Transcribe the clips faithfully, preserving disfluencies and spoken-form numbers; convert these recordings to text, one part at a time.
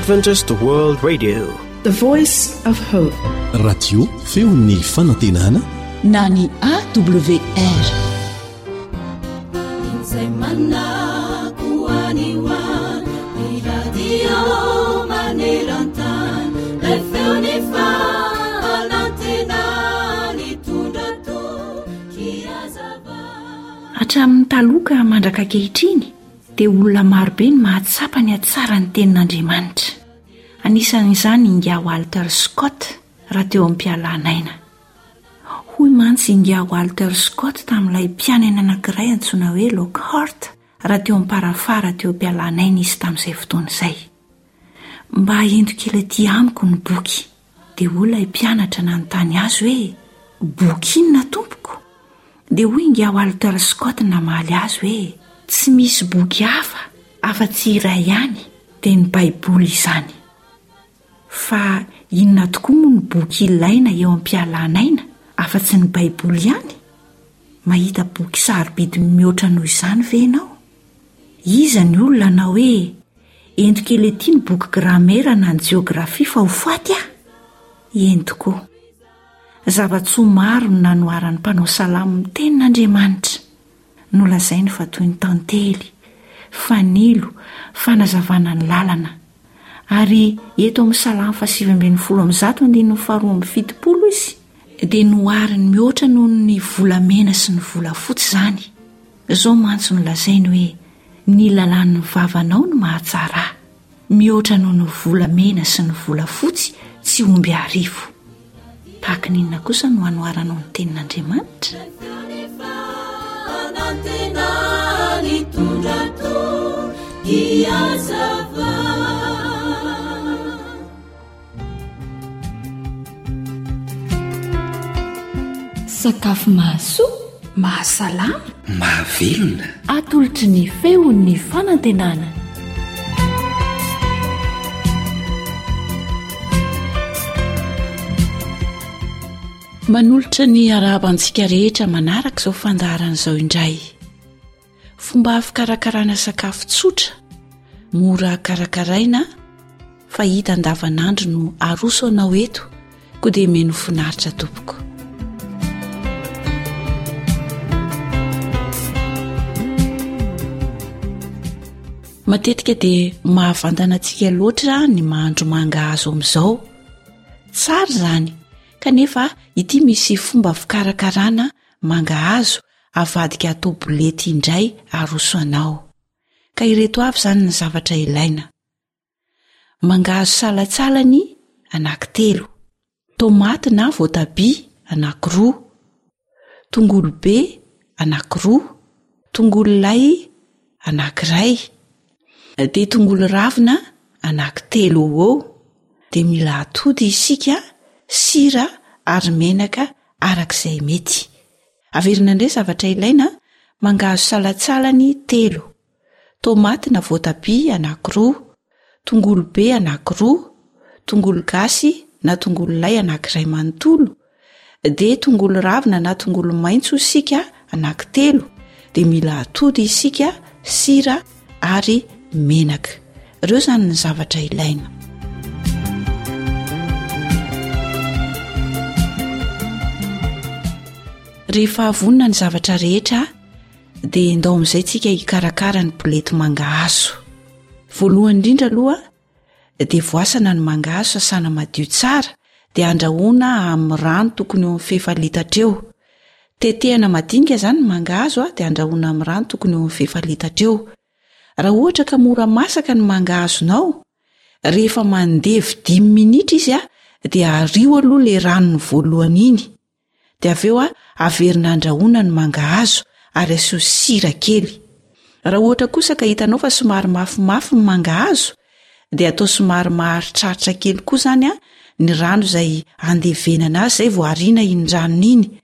Adventist World Radio, The Voice of Hope. Radio feon'ny fanantenana na ny A W R. Izay manako any ho any, ny radio maneran-tany, lay feon'ny fanantenana nitondra toky hazava. Hatramin'ny taloha ka mandraka ankehitriny dia olona marobe ny mahatsapa ny hatsara ny tenin'Andriamanitra. Anisan'izany ingahy Walter Scott raha teo am-pialan'aina. Hoy mantsy ingahy Walter Scott tamin'ilay mpianany anankiray antsoina hoe Lockhart raha teo am-parafara teo am-pialan'aina izy tamin'izay fotoana izay: "Mba ento kely aty amiko ny boky." Dia hoy ilay mpianatra nanontany azy hoe: "Boky inona, tompoko?" Dia hoy ingahy Walter Scott namaly azy hoe: "Tsy misy boky hafa afa-tsy iray ihany, dia ny Baiboly izany." Fa inona tokoa moa ny boky ilaina eo am-pialan'aina afa-tsy ny Baiboly ihany? Mahita boky sarobidy mihoatra noho izany ve ianao? Iza ny olona na hoe: "Ento kely aty ny boky gramera na ny jeografia fa ho faty aho"? Eny tokoa, zava-tsoa maro no nanoharan'ny mpanao salamo ny tenin'Andriamanitra. Nolazainy fa toy ny tantely, fanilo, fanazavana ny lalana. Ary eto amin'ny salamo fahasivy ambin'ny folo amby zato andininy faharoa amby fitopolo izy dia nohariny mihoatra noho ny volamena sy ny volafotsy izany. Izao mantsy no lazainy hoe: "Ny lalàn'ny vavanao no mahatsara ahy mihoatra noho ny volamena sy ny volafotsy tsy omby arivo." Tahaka ny inona kosa no anoharanao ny tenin'Andriamanitra? Fanantenana nitondra toky hazava. Sakafo mahasoa, mahasalama, mahavelona. Atolotry ny feon'ny fanantenana. Manolotra ny arahaba antsika rehetra manaraka izao fandaharana izao indray. Fomba fikarakarana sakafo tsotra, mora karakaraina, fa hita andavanandro no aroso anao eto, koa dia meno finaritra tompoko. Matetika dia mahavantana antsika loatra ny mahandro mangahazo amin'izao. Tsara izany, kanefa ity misy fomba fikarakarana mangahazo avadika atao bolety indray aroso anao. Ka ireto avy izany ny zavatra ilaina: mangahazo salantsalany anankitelo, tomaty na voatabia anankiroa, tongolo be anankiroa, tongolo lay anankiray, dia tongolo ravina anankitelo eo eo. Dia mila atody isika, sira ary menaka arak'izay mety. Averina indray zavatra ilaina: mangahazo salantsalany telo, tomaty na voatabia anankiroa, tongolo be anankiroa, tongolo gasy na tongolo lay anankiray manontolo, dia tongolo ravina na tongolo maitso isika anankitelo, dia mila atody isika, sira ary menaka. Ireo izany ny zavatra ilaina. Rehefa vonona ny zavatra rehetra dia ndao amin'izay tsika hikarakara ny bolety mangahazo. Voalohany indrindra aloha dia voasana ny mangahazo, sasana madio tsara, dia andrahoana amin'ny rano tokony eo amin'ny fefa litatra eo. Tetehana madinika izany ny mangahazo a, dia andrahoana amin'ny rano tokony eo amin'ny fefa litatra eo. Raha ohatra ka mora masaka ny mangahazonao, rehefa mandevy dimy minitra izy a, dia ario aloha le ranony voalohany iny, dia avy eo a averina andrahoana ny mangahazo ary asio sira kely. Raha ohatra kosa ka hitanao fa somary mafimafy ny mangahazo, dia atao somary maharitraritra kely koa izany a ny rano izay andevenana azy, izay vao ariana iny ranony iny,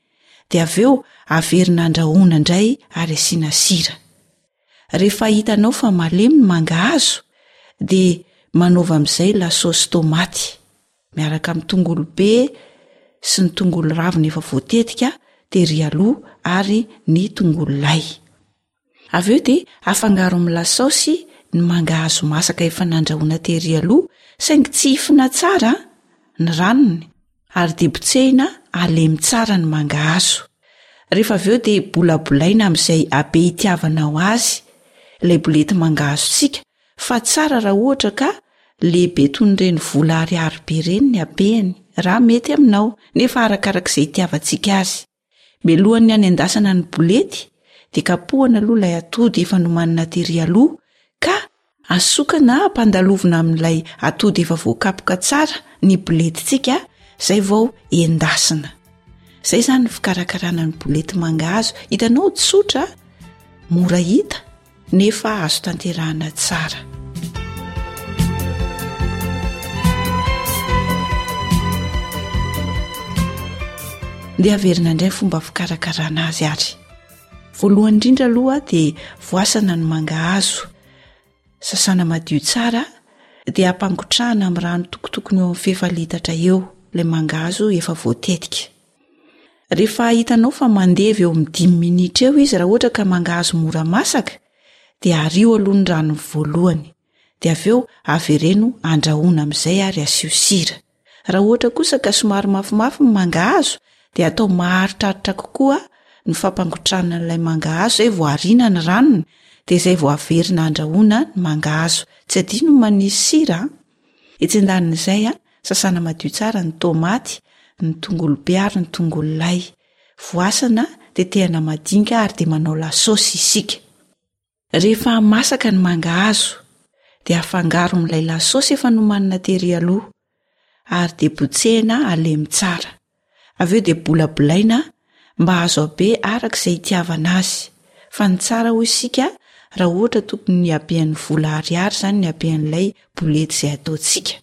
dia avy eo averina andrahoana indray ary asiana sira. Rehefa hitanao fa malemy ny mangahazo, dia manaova amin'izay lasosy tomaty miaraka amin'ny tongolo be sy ny tongolo ravina efa voatetika tery aloha ary ny tongolo lay. Avy eo dia afangaro amin'ny lasaosy ny mangahazo masaka efa nandrahoana tery aloha Saingy tsihifina tsara ny ranony ary dia botsehina halemy tsara ny mangahazo. Rehefa avy eo dia bolabolaina amin'izay habe itiavanao azy ilay bolety mangahazontsika, fa tsara raha ohatra ka lehibe toy ny ireny vola ariary be ireny ny habehany, raha mety aminao, nefa arakarak'izay itiavantsika azy. Mialohan'ny hanendasana ny bolety dia kapohana aloha ilay atody efa nomanina tery aloha ka asokana ampandalovina amin'ilay atody efa voakapoka tsara ny boletintsika, izay vao endasina. Izay izany ny fikarakarana ny bolety mangahazo. Hitanao, tsotra, mora hita, nefa azo tanterahana tsara. Ndeha averina indray ny fomba fikarakarana azy ary. Voalohany indrindra aloha dia voasana ny mangahazo, sasana madio tsara, dia ampangotrahana amin'ny rano tokotokony eo amin'ny fefa litatra eo ilay mangahazo efa voatetika. Rehefa hitanao fa mandevy eo amin'ny dimy minitra eo izy, raha ohatra ka mangahazo mora masaka, dia ario aloha ny ranony voalohany, dia avy eo avereno andrahoina amin'izay ary asio sira. Raha ohatra kosa ka somary mafimafy ny mangahazo, dia atao maharitraritra kokoa ny fampangotrahana an'ilay mangahazo, izay vao ariana ny ranony, dia izay vao averina andrahoina ny mangahazo. Tsy adino ny manisy sira a. Etsy andanin'izay, sasana madio tsara ny tomaty, ny tongolo be ary ny tongolo lay. Voasana, tetehana madinika ary dia manao lasosy isika. Rehefa masaka ny mangahazo, dia afangaro amin'ilay lasosy efa nomanina tery aloha, ary dia botsehina halemy tsara. Avy eo dia bolabolaina mba azo habe araka izay itiavana azy. Fa ny tsara hoy isika, raha ohatra tokony ny habean'ny vola ariary izany ny habean'ilay bolety izay ataontsika.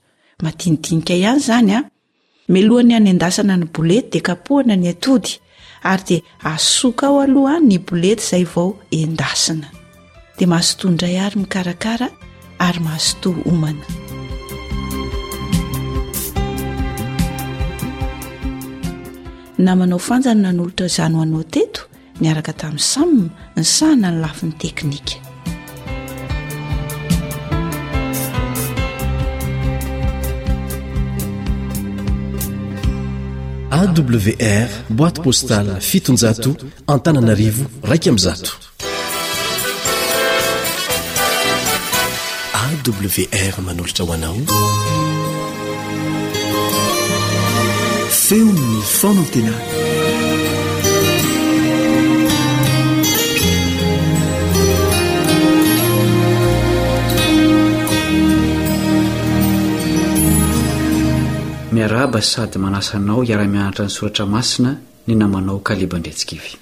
Madinidinika ihany izany a. Mialohan'ny hanendasana ny bolety dia kapohana ny atody ary dia asoka ao aloha ny bolety izay vao endasina. Dia mazotoa indray ary mikarakara ary mazotoa homana. Namanao Fanja no nanolotra izany ho anao teto niaraka tamin'i Sam nisahana ny lafiny teknika. A W R boîte postale fitonjato Antananarivo raika amby zato. A W R manolotra ho anao Feon'ny fanantenana. Miarahaba sady manasa anao hiara-mianatra ny soratra masina ny namanao Kaleba Andriantsikivy.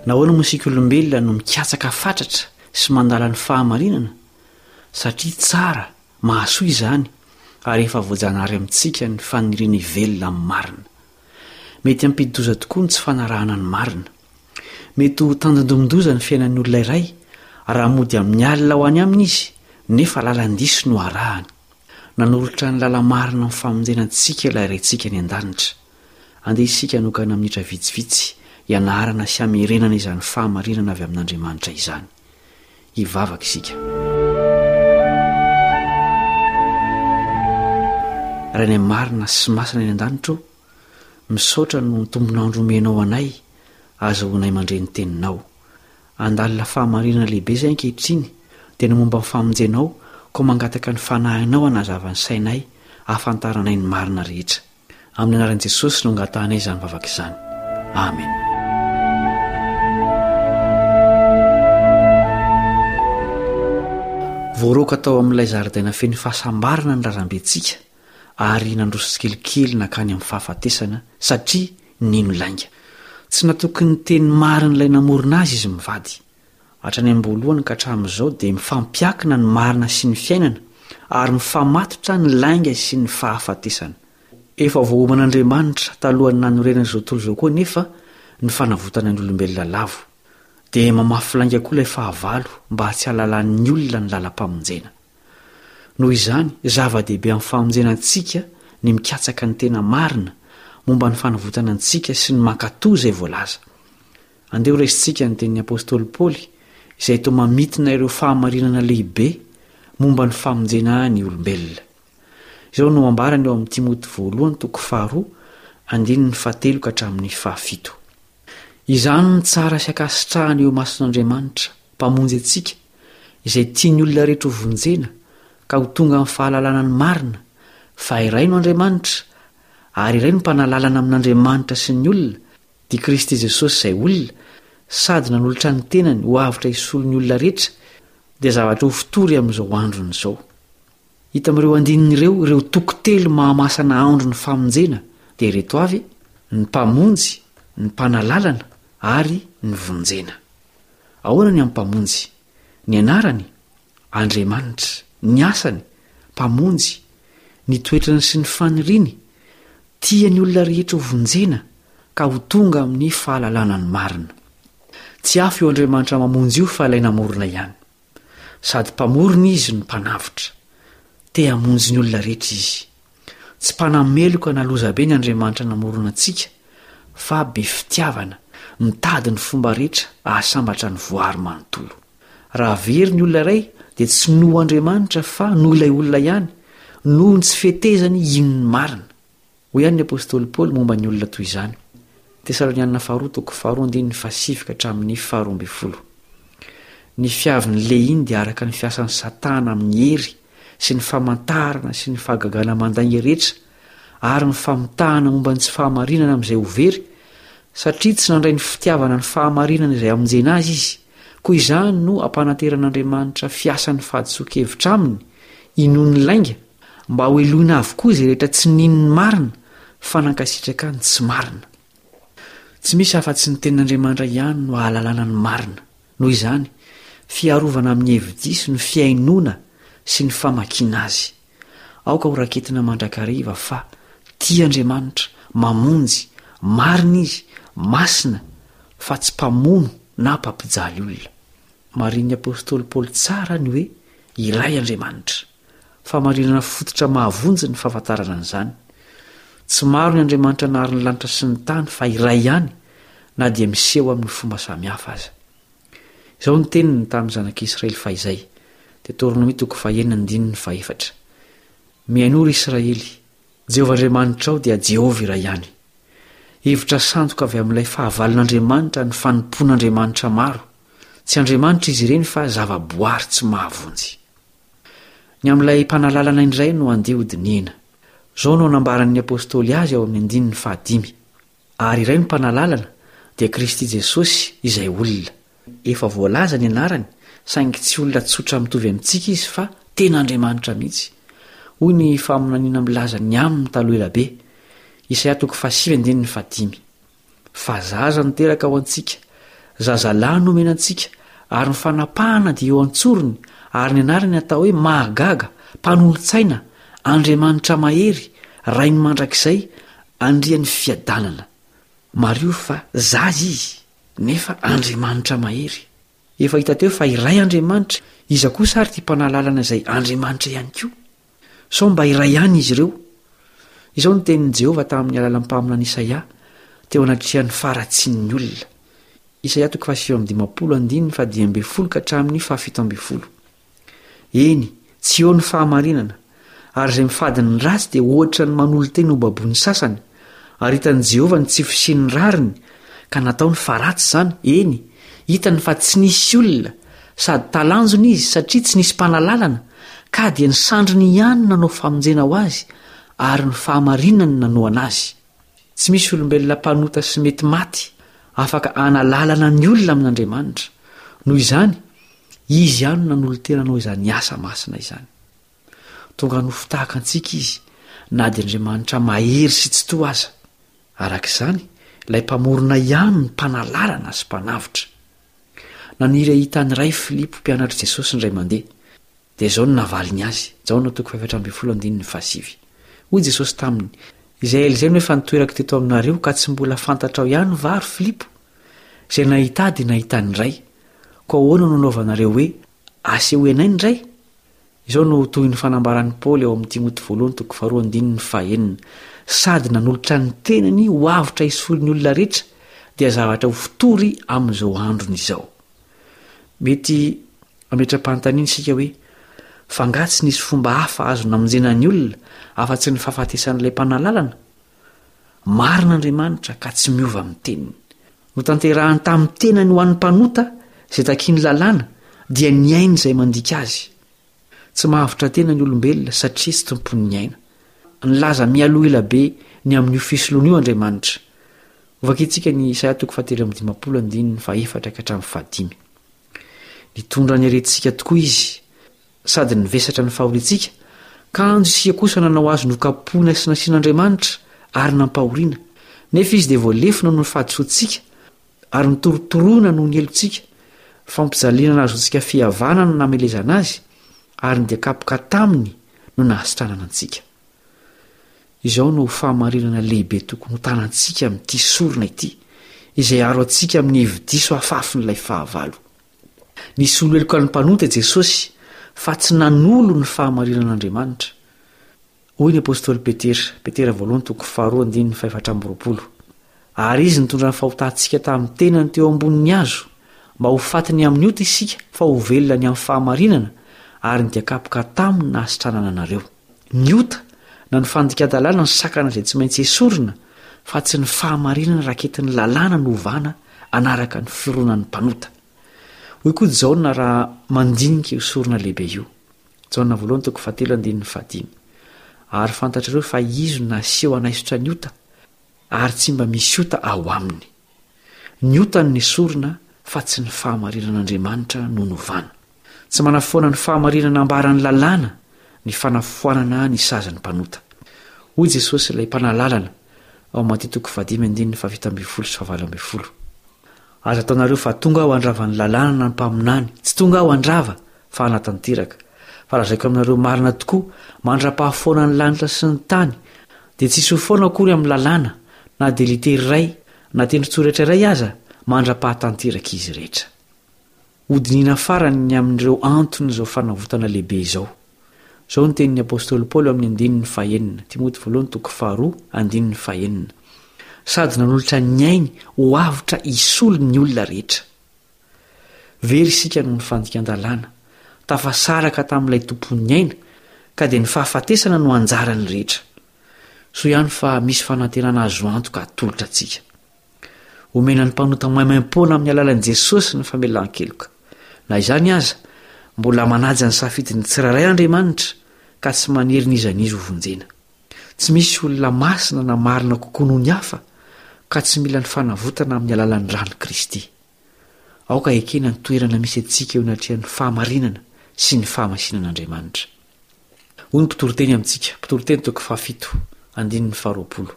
Nahoana moa isika olombelona no mikatsaka fatratra sy mandala ny fahamarinana? Satria tsara, mahasoa izany, ary efa voajanahary amintsika ny faniriana hivelona amin'ny marina. Mety hampidi-doza tokoa ny tsy fanarahana ny marina. Mety ho tandindomin-doza ny fiainan'ny olona iray raha mody amin'ny alina ho any aminy izy, nefa lalan-diso no arahany. Nanolotra ny lala-marina amin'ny famonjena antsika ilay Raintsika any an-danitra. Andeha isika hanokana minitra vitsivitsy hianarana sy hamerenana izany fahamarinana avy amin'Andriamanitra izany. Hivavaka isika. Rainay marina sy masina any an-danitra ô, misaotra noho ny tombon'andro omenao anay azahoanay mandre ny teninao. Handalina fahamarinana lehibe izay ankehitriny, dia ny momba ny famonjenao, koa mangataka ny fanahinao hanazava ny sainay hahafantaranay ny marina rehetra. Amin'ny anaran'i Jesosy no angatahanay izany vavaka izany. Amen. Voaroaka tao amin'ilay zaridaina feno fahasambarana ny razambentsika ary nandroso tsikelikely nankany amin'ny fahafatesana satria nino lainga. Tsy natoky ny teny marin'ilay namorona azy izy mivady. Hatrany am-boalohany ka hatramin'izao dia mifampiankina ny marina sy ny fiainana ary mifamatotra ny lainga sy ny fahafatesana. Efa voaoman'Andriamanitra talohan'ny nanorenana izao tontolo izao koa anefa ny fanavotana ny olombelona lavo. Dia mamafy lainga koa ilay fahavalo mba tsy hahalalan'ny olona ny lalam-pamonjena. Noho izany, zava-dehibe amin'ny famonjena antsika ny mikatsaka ny tena marina momba ny fanavotana antsika sy ny mankatò izay voalaza. Andeha ho raisintsika ny tenin'ny apostoly Paoly izay toa mamintina ireo fahamarinana lehibe momba ny famonjena ny olombelona. Izao no ambarany ao amin'ny Timoty voalohany toko faharoa andininy fahatelo ka hatramin'ny fahafito. Izany no tsara sy ankasitrahana eo imason'Andriamanitra, Mpamonjy antsika, izay tian'ny olona rehetra ho vonjena ka ho tonga amin'ny fahalalana ny marina, fa iray no Andriamanitra, ary iray no mpanalalana amin'Andriamanitra sy ny olona, dia Kristy Jesosy izay olona, sady nanolotra ny tenany ho avotra hisolo ny olona rehetra, dia zavatra ho fotory amin'izao androny izao. Hita amin'ireo andininy ireo ireo toko telo mahamasana andro ny famonjena, dia ireto avy, ny Mpamonjy, ny Mpanalalana ary ny Vonjena. Ahoana ny amin'ny Mpamonjy? Ny anarany? Andriamanitra. Ny asany? Mpamonjy. Ny toetrany sy ny faniriany? Tia ny olona rehetra ho vonjena ka ho tonga amin'ny fahalalana ny marina. Tsy hafa io Andriamanitra mamonjy io fa ilay namorona ihany. Sady Mpamorona Izy no Mpanavotra. Te hamonjy ny olona rehetra Izy. Tsy mpanameloka na lozabe ny Andriamanitra namorona antsika fa be fitiavana, mitady ny fomba rehetra hahasambatra ny voary manontolo. Raha very ny olona iray dia tsy noho Andriamanitra fa noho ilay olona ihany, noho ny tsy fetezany hino ny marina. Hoy ihany ny apostoly Paoly momba ny olona toy izany, Tesalonianina faharoa toko faharoa andininy fahasivy ka hatramin'ny faharoa ambin'ny folo. Ny fiavin'ny lehiny dia araka ny fiasan'i Satana amin'ny hery sy ny famantarana sy ny fahagagana mandainga rehetra ary ny famitahana momba ny tsy fahamarinana amin'izay ho very, satria tsy nandray ny fitiavana ny fahamarinana izay hamonjena azy izy. Koa izany no ampanateran'Andriamanitra fiasan'ny fahadisoan-kevitra aminy, inoan'ny lainga, mba hohelohina avokoa izay rehetra tsy nino ny marina fa nankasitraka ny tsy marina. Tsy misy afa-tsy ny Tenin'Andriamanitra ihany no ahalalana ny marina. Noho izany, fiarovana amin'ny hevi-diso ny fihainoana sy ny famakiana azy. Aoka ho raketina mandrakariva fa tia Andriamanitra, mamonjy, marina Izy, masina, fa tsy mpamono na mpampijaly olona. Marihin'ny apostoly Paoly tsara ny hoe iray Andriamanitra. Fahamarinana fototra mahavonjy ny fahafantarana an'izany. Tsy maro ny Andriamanitra nahary ny lanitra sy ny tany fa iray ihany na dia miseho amin'ny fomba samihafa aza. Izao ny teniny tamin'ny zanak'Israely fahizay, Deoteronomia toko fahenina andininy fahefatra, Mihainoa ry Israely, Jehovah Andriamanitrao dia Jehovah iray ihany. Hevitra sandoka avy amin'ilay fahavalon'Andriamanitra ny fanompoan'andriamanitra maro. Tsy andriamanitra izy ireny fa zava-boary tsy mahavonjy. Ny amin'ilay mpanalalana indray no andeha hodinihina. Izao no anambaran'ny apostoly azy ao amin'ny andininy fahadimy, Ary iray no mpanalalana, dia Kristy Jesosy, izay olona. Efa voalaza ny anarany, saingy tsy olona tsotra mitovy amintsika izy fa tena Andriamanitra mihitsy. Hoy ny faminaniana milaza ny aminy taloha ela be, Isaia toko fahasivy andininy fahadimy. Fa zaza no teraka ho antsika, zazalahy no omena antsika, ary ny fanapahana dia eo an-tsorony, ary ny anarany atao hoe Mahagaga, Mpanolo-tsaina, Andriamanitra Mahery, Rain'ny mandrakizay, Andrian'ny fiadanana. Mariho fa zaza izy, nefa Andriamanitra Mahery. Efa hita teo fa iray Andriamanitra, iza kosa ary ity mpanalalana izay Andriamanitra ihany koa? Sao mba iray ihany izy ireo? Izao no tenin'i Jehovah tamin'ny alalan'ny mpaminany Isaia, teo anatrehan'ny faharatsian'ny olona. Isaia toko fahasivy amby dimampolo andininy fahadimy ambin'ny folo ka hatramin'ny fahafito ambin'ny folo. Eny, tsy eo ny fahamarinana, ary izay mifady ny ratsy dia ohatra ny manolo-tena ho baboin'ny sasany, ary hitan'i Jehovah ny tsy fisian'ny rariny, ka nataony fa ratsy izany, eny, hitany fa tsy nisy olona, sady talanjona izy satria tsy nisy mpanalalana, ka dia ny sandriny ihany no nanao famonjena ho azy, ary ny fahamarinany nanohana azy. Tsy misy olombelona mpanota sy mety maty afaka hanalalana ny olona amin'Andriamanitra. Noho izany, Izy ihany no nanolo-tena hanao izany asa masina izany. Tonga nofo tahaka antsika Izy, na dia Andriamanitra mahery sy tsitoha aza. Araka izany, ilay Mpamorona ihany no Mpanalalana sy Mpanavotra. Naniry hahita ny Ray Filipo mpianatr'i Jesosy indray mandeha. Dia izao no navaliny azy, Jaona toko fahefatra ambin'ny folo andininy fahasivy. Hoy Jesosy taminy, Izay ela izay no efa nitoerako teto aminareo ka tsy mbola fantatrao ihany va, ry Filipo? Izay nahita Ahy dia nahita ny Ray. Koa ahoana no anaovanareo hoe, Asehoy anay ny Ray? Izao no tohin'ny fanambaran'i Paoly ao amin'ny Timoty voalohany toko faharoa andininy fahenina, Sady nanolotra ny tenany ho avotra hisolo ny olona rehetra, dia zavatra ho fotory amin'izao androny izao. Mety hametra-panontaniana isika hoe, fa angaha tsy nisy fomba hafa azo namonjena ny olona afa-tsy ny fahafatesan'ilay mpanalalana? Marina Andriamanitra ka tsy miova amin'ny teniny. Notanterahany tamin'ny tenany ho an'ny mpanota izay takian'ny lalàna dia ny ainy izay mandika azy. Tsy mahavotra tena ny olombelona satria tsy tompon'ny aina. Nilaza mialoha ela be ny amin'io fisoloana io Andriamanitra. Hovakintsika ny Isaia toko fahatelo amby dimampolo andininy fahefatra ka hatramin'ny fahadimy. Nitondra ny aretintsika tokoa izy sady nivesatra ny fahoriantsika, kanjo isika kosa nanao azy nokapohina sy nasian'Andriamanitra ary nampahoriana. Nefa izy dia voalefona noho ny fahadisoantsika ary notorotoroina noho ny helotsika. Fampijaliana nahazoantsika fihavanana no namelezana azy, ary ny dia kapoka taminy no nahasitranana antsika. Izao no fahamarinana lehibe tokony hotanantsika amin'ity sorona ity, izay hiaro antsika amin'ny hevi-diso afafin'ilay fahavalo. Nisolo heloka ny mpanota i Jesosy, fa tsy nanolo ny fahamarinan'Andriamanitra. Hoy ny apostoly Petera, Petera voalohany toko faharoa andininy fahefatra amby roapolo, Ary izy nitondra ny fahotantsika tamin'ny tenany teo ambonin'ny hazo, mba ho faty ny amin'ny ota isika, fa ho velona ny amin'ny fahamarinana, ary ny dian-kapoka taminy nahasitranana anareo. Ny ota, na ny fandikan-dalàna no sakana izay tsy maintsy esorina, fa tsy ny fahamarinana raketin'ny lalàna no ovana hanaraka ny fironan'ny mpanota. Hoy koa Jaona raha mandinika io sorona lehibe io. Jaona voalohany toko fahatelo andininy fahadimy. Ary fantatrareo fa izy no naseho hanaisotra ny ota, ary tsy mba misy ota ao aminy. Ny ota no nesorina fa tsy ny fahamarinan'Andriamanitra no novana. Tsy manafoana ny fahamarinana ambaran'ny lalàna ny fanafoanana ny sazin'ny mpanota. Hoy Jesosy ilay Mpanalalana ao Matio toko fahadimy andininy fahafito ambin'ny folo sy fahavalo ambin'ny folo. Aza ataonareo fa tonga aho handrava ny lalàna na ny mpaminany, tsy tonga aho handrava fa hanatanteraka. Fa lazaiko aminareo marina tokoa, mandra-pahafoana ny lanitra sy ny tany, dia tsy hisy ho foana akory amin'ny lalàna, na dia litera iray, na tendron-tsoratra iray aza, mandra-pahatanteraka izy rehetra. Hodinihina farany ny amin'ireo anton'izao fanavotana lehibe izao. Izao ny tenin'ny apostoly Paoly ao amin'ny andininy fahenina, Timoty voalohany toko faharoa, andininy fahenina, Sady nanolotra ny ainy ho avotra hisolo ny olona rehetra. Very isika noho ny fandikan-dalàna, tafasaraka tamin'ilay Tompon'ny aina, ka dia ny fahafatesana no anjaran'ny rehetra. Soa ihany fa misy fanantenana azo antoka atolotra antsika. Omena ny mpanota maimaimpoana amin'ny alalan'i Jesosy ny famelan-keloka. Na izany aza, mbola manaja ny safidin'ny tsirairay Andriamanitra, ka tsy manery n'iza n'iza hovonjena. Tsy misy olona masina na marina kokoa noho ny hafa, ka tsy mila ny fanavotana amin'ny alalan'ny ran'i Kristy. Aoka hekena ny toerana misy antsika eo anatrehan'ny fahamarinana sy ny fahamasinan'Andriamanitra. Hoy ny mpitoriteny amintsika, Mpitoriteny toko fahafito, andininy faharoapolo,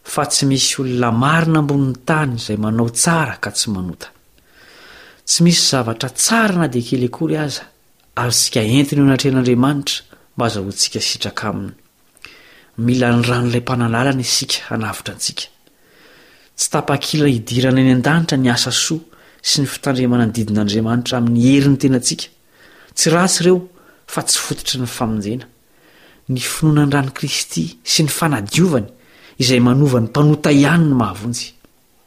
Fa tsy misy olona marina ambonin'ny tany izay manao tsara ka tsy manota. Tsy misy zavatra tsara na dia kely akory aza azontsika entina eo anatrehan'Andriamanitra mba hazahoantsika sitraka aminy. Mila ny ran'ilay Mpanalalana isika hanavotra antsika. Tsy tapakila hidirana any an-danitra ny asa soa sy ny fitandremana ny didin'Andriamanitra amin'ny herin'ny tenantsika. Tsy ratsy ireo fa tsy fototry ny famonjena. Ny finoana ny ran'i Kristy sy ny fanadiovany izay manova ny mpanota ihany no mahavonjy.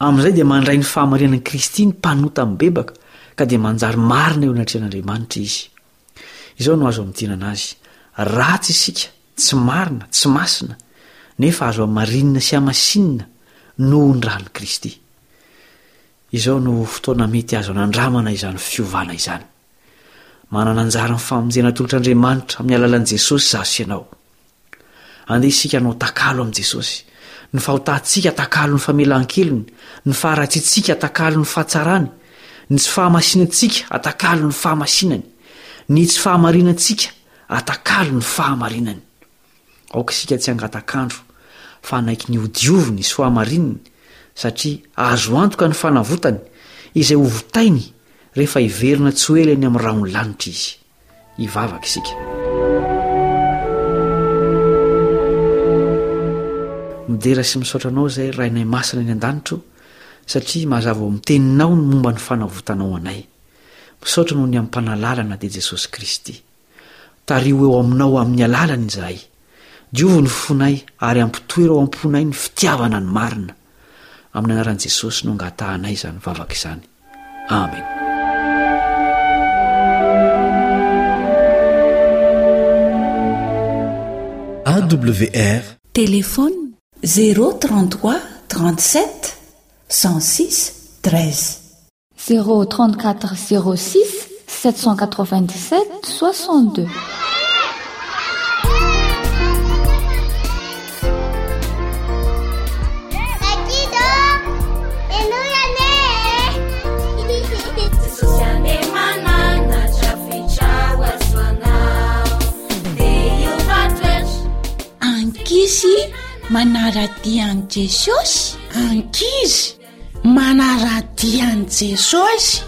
Amin'izay dia mandray ny fahamarinan'i Kristy ny mpanota mibebaka ka dia manjary marina eo anatrehan'Andriamanitra izy. Izao no azo amintinana azy, ratsy isika, tsy marina, tsy masina, nefa azo hamarinina sy hamasinina noho ny ran'i Kristy. Izao no fotoana mety azo anandramana izany fiovana izany. Manana anjara amin'ny famonjena atolotr'Andriamanitra amin'ny alalan'i Jesosy izaho sy ianao. Andeha isika hanao takalo amin'i Jesosy. Ny fahotantsika atakalo ny famelan-kelony, ny faharatsiantsika atakalo ny fahatsarany, ny tsy fahamasinantsika atakalo ny fahamasinany, ny tsy fahamarinantsika atakalo ny fahamarinany. Aoka isika tsy hangatak'andro fa hanaiky ny hodioviny sy hohamarininy, satria azo antoka ny fanavotany, izay hovotainy rehefa hiverina tsy ho ela eny amin'ny rahon'ny lanitra izy. Hivavaka isika. Midera sy misaotra Anao izay Rainay Masina any an-danitra o, satria mazava ao amin'ny Teninao ny momba ny fanavotanao anay. Misaotra noho ny amin'ny Mpanalalana dia Jesosy Kristy. Tariho eo Aminao amin'ny alalany izahay. Diovy ny fonay ary ampitoero ao am-ponay ny fitiavana ny marina. Amin'ny anaran'i Jesosy no angatahanay izany vavaka izany. Amen. A W R. Téléphone zéro trente-trois trente-sept cent six treize. Zéro trente-quatre zéro six sept cent quatre-vingt-dix-sept soixante-deux. Ankizy manara-dia an'i Jesosy. Ankizy manara-dia an'i Jesosy.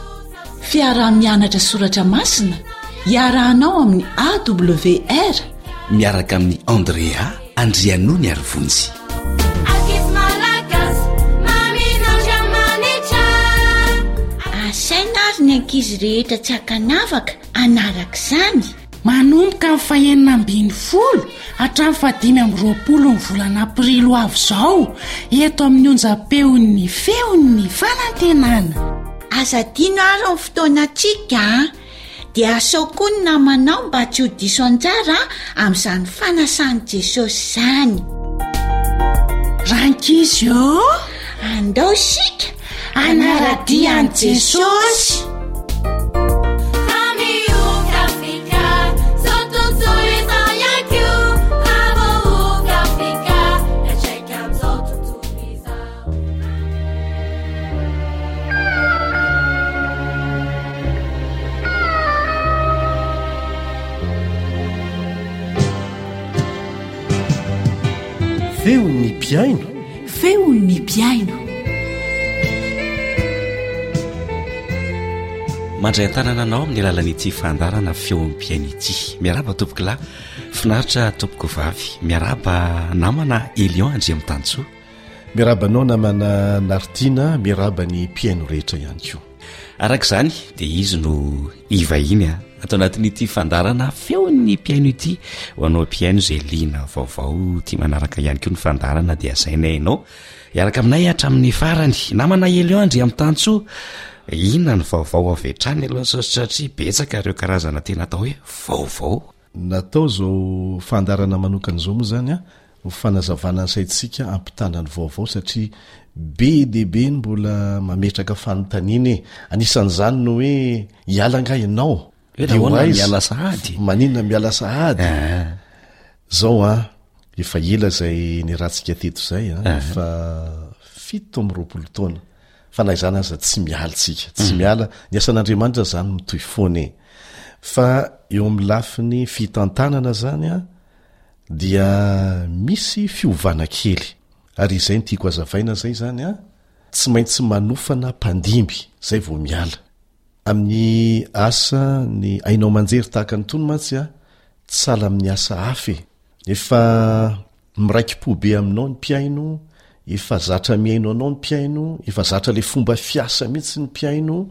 Fiaraha-mianatra soratra masina iarahanao amin'ny A W R. Miaraka amin'ny Andrea Andrianony ary Vonjy. Ankizy malagasy mamin'Andriamanitra. Asaina ary ny ankizy rehetra tsy ankanavaka anaraka izany. Manomboka amin'ny fahenina ambin'ny folo hatramin'ny fahadimy amby roapolo ny volana aprily ho avy izao, eto amin'ny onjam-peon'ny Feon'ny Fanantenana. Aza adino ary ny fotoanantsika a, dia asao koa ny namanao mba tsy ho diso anjara amin'izany fanasan'i Jesosy izany. Rankizy ô, andao isika anara-dia an'i Jesosy. Amioka Afrika, zao tontolo izao ihany koa. Amioka Afrika, miantraika amin'izao tontolo izao. Feon'ny mpiaino. Feon'ny mpiaino. Mandray an-tanana anao amin'ny alalan'ity fandaharana Feon'ny mpiaino ity. Miaraba tompoko lahy, finaritra tompoko vavy, miaraba namana Elion Andriamitansoa. Miaraba anao namana Nartina, miaraba ny mpiaino rehetra ihany koa. Araka izany dia izy no ivahiny a atao anatin'ity fandaharana Feon'ny mpiaino ity. Ho anao mpiaino izay liana vaovao tia manaraka ihany koa ny fandaharana, dia asaina ianao hiaraka aminay hatramin'ny farany. Namana Elion Andriamitansoa, inona ny vaovao avy hatrany aloha, satria betsaka ireo karazana tena atao hoe vaovao? Natao zao fandaharana manokana izao moa zany a ho fanazavana ny saintsika, ampitana ny vaovao, satria be dia be ny mbola mametraka fanontaniana e. Anisan'izany no hoe hiala nga ianao? Hoe De ho nahoana aiza? Miala sahady? Maninona miala sahady? Ah. Zao a, efa ela zay niarahantsika teto zay a, Ah. efa fito amby roapolo taona. Fa na izany aza tsy miala tsika, tsy Mm. miala. Ny asan'Andriamanitra zany mitohy foana e. Fa eo amin'ny lafiny fitantanana zany a, dia misy fiovana kely. Ary izay no tiako hazavaina zay zany a, tsy maintsy manofana mpandimby zay vao miala. Amin'ny asa ny haino aman-jery tahaka ny tony mantsy a, tsy sahala amin'ny asa hafa e. Efa miraiki-po be aminao ny mpiaino, efa zatra mihaino anao ny mpiaino, efa zatra le fomba fiasa mihitsy ny mpiaino,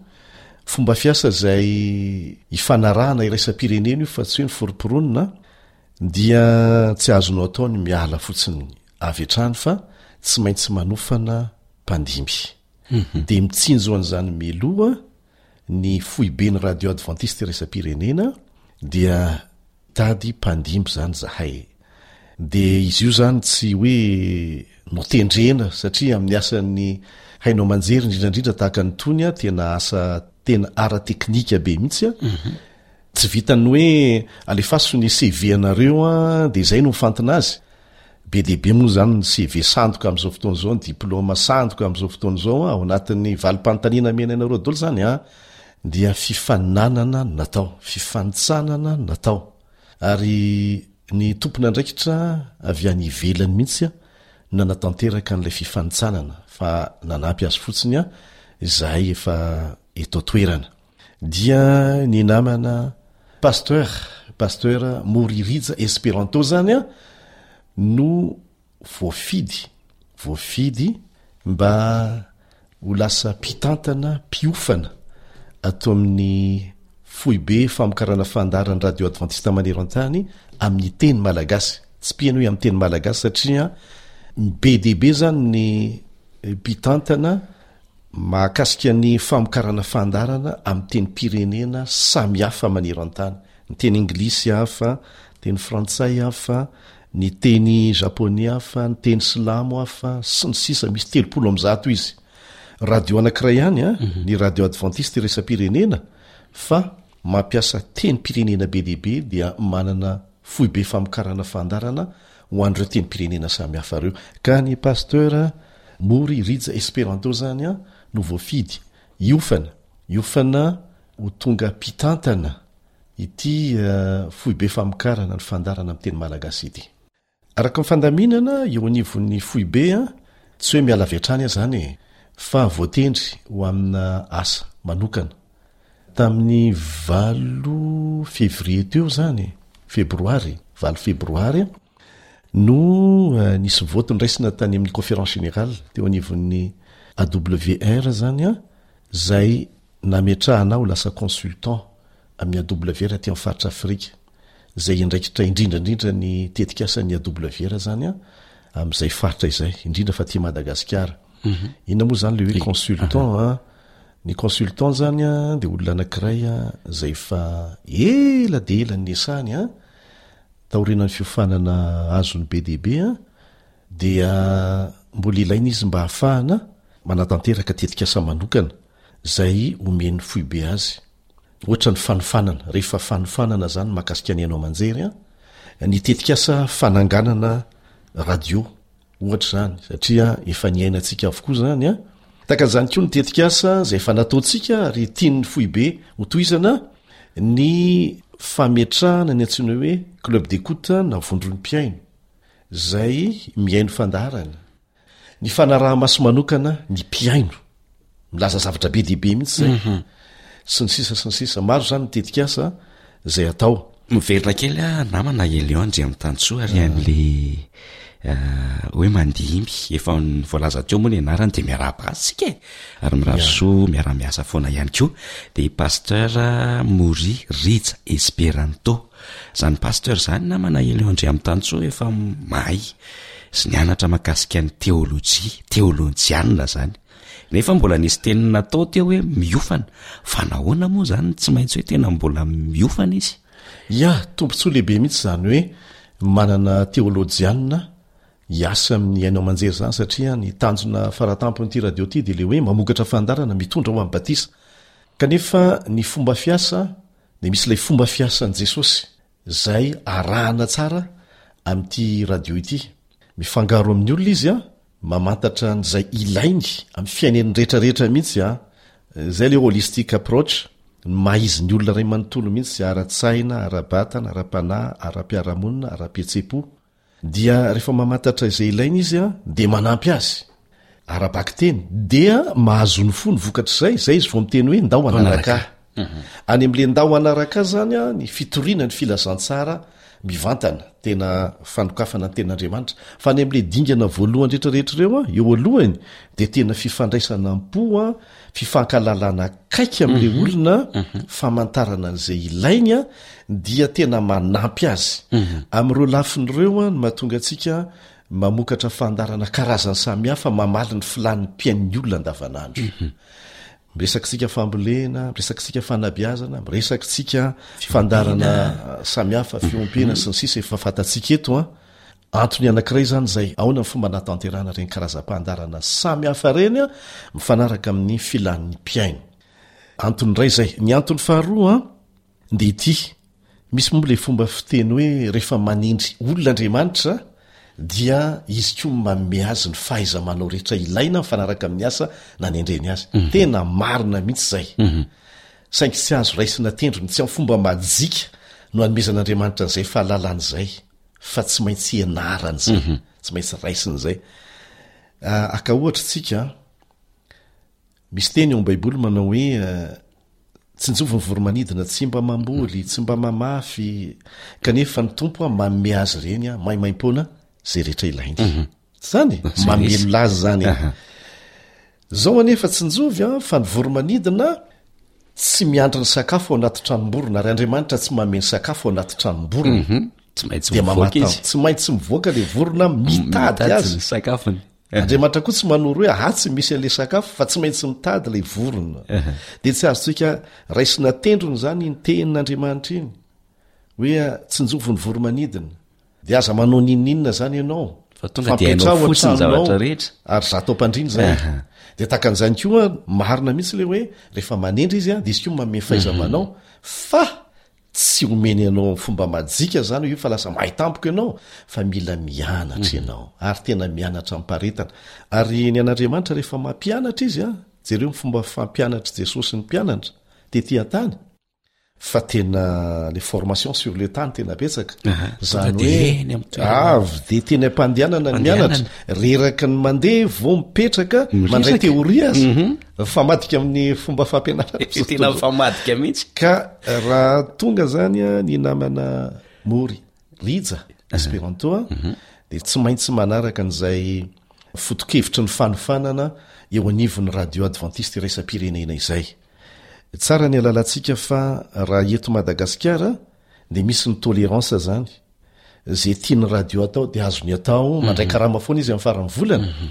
fomba fiasa izay ifanarahana iraisam-pirenena io fa tsy hoe ny foromporonina, dia tsy azonao atao ny miala fotsiny avy hatrany fa tsy maintsy manofana mpandimby. Mhm. Dia mitsinjo an'izany mialoha ny foibe ny radio adventiste iraisam-pirenena, dia tady mpandimby zany zahay. Dia izy io zany tsy hoe notendrena, satria amin'ny asan'ny haino aman-jery indrindrandrindra tahaka ny tony a, tena asa tena ara-teknika be mihitsy a. Mhm. Tsy vitan'ny hoe alefaso ny C V anareo a, dia izay no mifantina azy. Be dia be moa zany ny C V sandoka amin'izao fotoana izao, ny diplôma sandoka amin'izao fotoana izao a, ao anatin'ny valim-panontaniana mena anareo daholo zany a, dia fifaninanana no natao, fifanintsanana no natao. Ary ny tompon'andraikitra avy any ivelany mihitsy a, no nanatanteraka an'ilay fifanintsanana, fa nanampy azy fotsiny a izahay efa eto an-toerana. Dia ny namana pasteur, pasteur Moririja Esperanto zany a, no voafidy, voafidy mba ho lasa mpitantana mpiofana atao amin'ny foibe famokarana fandaharan'ny radio adventiste maneran-tany amin'ny teny malagasy. Tsy mpihaino hoe amin'ny teny malagasy, satria be dia be zany ny mpitantana mahakasika ny famokarana fandaharana amin'ny tenim-pirenena samihafa maneran-tany. Ny teny anglisy hafa, ny teny frantsay hafa, ny teny japoney hafa, ny teny silamo hafa, sy ny sisa. Misy telopolo amby zato izy. Radio anankiray ihany, a, ny Radio Adventiste iraisam-pirenena, fa mampiasa tenim-pirenena be dia be, dia manana foibe famokarana fandaharana ho an'ireo tenim-pirenena samihafa ireo. Ka ny Pasteur Mory Rija Esperanto zany a no voafidy hiofana, hiofana ho tonga mpitantana ity foibe famokarana ny fandaharana amin'ny teny malagasy ity. Araka ny fandaminana eo anivon'ny foibe a, tsy hoe miala avy hatrany aho zany e, fa voatendry ho amina asa manokana. Tamin'ny valo février teo zany, febroary, valo febroary no nisy vote niraisina tany amin'ny conférence générale teo anivon'ny A W R zany a, zay nametrahana ho lasa consultant amin'ny A W R aty amin'ny faritra Afrika, zay andraikitra indrindra indrindra ny tetikasan'ny A W R zany a, amin'izay faritra izay, indrindra fa aty Madagasikara. Mhm. Inona moa zany le hoe Ry- consultant a? Ny consultant zany a, dia olona anankiray a, zay efa ela dia ela niasany a, taorian'ny fiofanana azony be dia be a, dia mbola ilaina izy mba hahafahana manatanteraka tetikasa manokana zay omen'ny foibe azy. Ohatra ny fanofanana, rehefa fanofanana zany mahakasika ny haino aman-jery a, ny tetikasa fananganana radio ohatra zany, satria efa niainantsika avokoa zany a. Tahaka an'izany koa ny tetikasa zay efa nataontsika ary tian'ny foibe hotohizana, ny fametrahana ny antsoina hoe club d'écoute na vondron'ny mpihaino zay mihaino fandaharana, ny fanaraha-maso manokana ny mpihaino, milaza zavatra be dia be mihitsy zay. Mhm. Sy ny sisa sy ny sisa. Maro zany ny tetikasa zay atao. Miverina kely a namana Elion Andriamitansoa ary an'le, eh, hoe mandimby, efa voalaza teo moa ny anarany, dia miarahaba azy tsika e. Ary mirary Ya. soa miara-miasa foana ihany koa. Dia Pasteur Mory Rija Esperanto. Zany pasteur zany namana Elion Andriamitansoa efa mahay sy nianatra mahakasika ny teolojia, teolojianina zany. Nefa mbola nisy teny natao teo hoe miofana. Fa nahoana moa zany tsy maintsy hoe tena mbola miofana izy? Ya, tombontsoa lehibe mihitsy zany hoe manana teolojianina hiasa amin'ny haino aman-jery zany, satria ny tanjona faratampon'ity radio ity dia le hoe mamokatra fandaharana mitondra ho amin'ny batisa. Kanefa ny fomba fiasa dia misy ilay fomba fiasan'i Jesosy zay arahana tsara amin'ity radio ity. Mifangaro amin'ny olona izy a, mamantatra an'izay ilainy amin'ny fiainany rehetrarehetra mihitsy a. Zay le holistic approach, ny maha izy ny olona iray manontolo mihitsy, ara-tsaina, ara-batana, ara-panahy, ara-piarahamonina, ara-pihetseham-po. Dia rehefa mamantatra izay ilainy izy a, dia manampy azy ara-bakiteny, dia mahazo ny fo ny vokatr'izay, zay izy vao miteny hoe ndao hanaraka ahy. Mhm. Any amin'ilay ndao hanaraka ahy zany a, ny fitoriana ny filazantsara mivantana, tena fanokafana ny tenin'Andriamanitra. Fa any amin'ilay dingana voalohany rehetrarehetra ireo a, eo alohany dia tena fifandraisana am-po a, fifankalalana akaiky amin'ilay Mhm. olona, Mhm. famantarana an'izay ilainy a, dia tena manampy azy. Mhm. Amin'ireo lafiny ireo a, no mahatonga antsika mamokatra fandaharana karazany samihafa mamaly ny filàn'ny mpihain'ny olona andavanandro. Mhm. Miresaka fambolena, miresaka fanabeazana, miresaka fandaharana samihafa, fiompiana sy ny sisa efa fantatsika eto a. Antony anankiray zany izay, ahoana ny fomba nahatanterahana ireny karazam-pandaharana samihafa ireny a, mifanaraka amin'ny filàn'ny mpihaino. Antony iray izay. Ny antony faharoa a, dia ity. Misy moa ilay fomba fiteny hoe rehefa manindry olona Andriamanitra dia izy koa manome azy ny fahaiza-manao rehetra ilaina mifanaraka amin'ny asa nanendreny azy. Mhm. Tena marina mihitsy izay. Mhm. Saingy tsy azo raisina tendrony, tsy amin'ny fomba majika no hanomezan'Andriamanitra an'izay fahalalana izay, fa tsy maintsy ianarana izay, Mhm. tsy maintsy raisina izay. Ah, aka ohatra tsika, misy teny ao amin'ny Baiboly manao hoe, eh, tsinjovy ny voromanidina, tsy mba mamboly, tsy mba mamafy, kanefa ny Tompo a manome azy ireny a maimaimpoana izay rehetra ilainy. Mhm. Zany? Zay Mamelona azy zany. Aha. Zao anefa tsinjovy a, fa ny voromanidina tsy miandry ny sakafo ao anaty tranomborona, ary Andriamanitra tsy manome ny sakafo ao anaty tranomborona. Mhm. Tsy maintsy Dia mivoaka mamata- izy. Tsy maintsy mivoaka le vorona mitady Mitady azy. ny sakafony. Andriamanitra koa tsy manoro hoe atsy misy an'le sakafo fa tsy maintsy mitady ilay vorona. Dia tsy azontsika raisina tendrony izany iny tenin'Andriamanitra iny hoe tsinjovy ny voro-manidina. Dia aza manao n'inon'inona izany ianao. Fa tonga dia hainao Fampiatraho fotsiny ny an-tranonao. zavatra rehetra. Ary zato am-pandriana izay. Dia tahaka an'izany koa, marina mihitsy ilay hoe rehefa manendry izy dia izy koa manome fahaiza-manao fa Tsy omeny anao amin'ny fomba majika izany io fa lasa mahay tampoka ianao fa mila mianatra ianao ary tena mianatra amim-paharetana. Ary ny an'Andriamanitra rehefa mampianatra izy an, jereo ny fomba fampianatr'i Jesosy ny mpianatra tety an-tany fa tena le formation sur le tas no tena betsaka. Izany hoe avy dia teny am-pandehanana ny mianatra, reraka ny mandeha vao mipetraka mandray théorie aza. Mhm. Mifamadika amin'ny fomba fampianarana. Tena mifamadika mihitsy. Ka raha tonga zany ny namana Mory Rija Esperanto mhm. dia tsy maintsy manaraka an'izay foto-kevitry ny fanofanana eo anivon'ny radio adventiste iraisam-pirenena izay. Tsara ny alalantsika fa raha eto Madagasikara dia misy ny tolérance zany. Ze tian'ny radio atao dia azony atao, mandray mhm. karama foana izy amin'ny faran'ny volana. Mhm.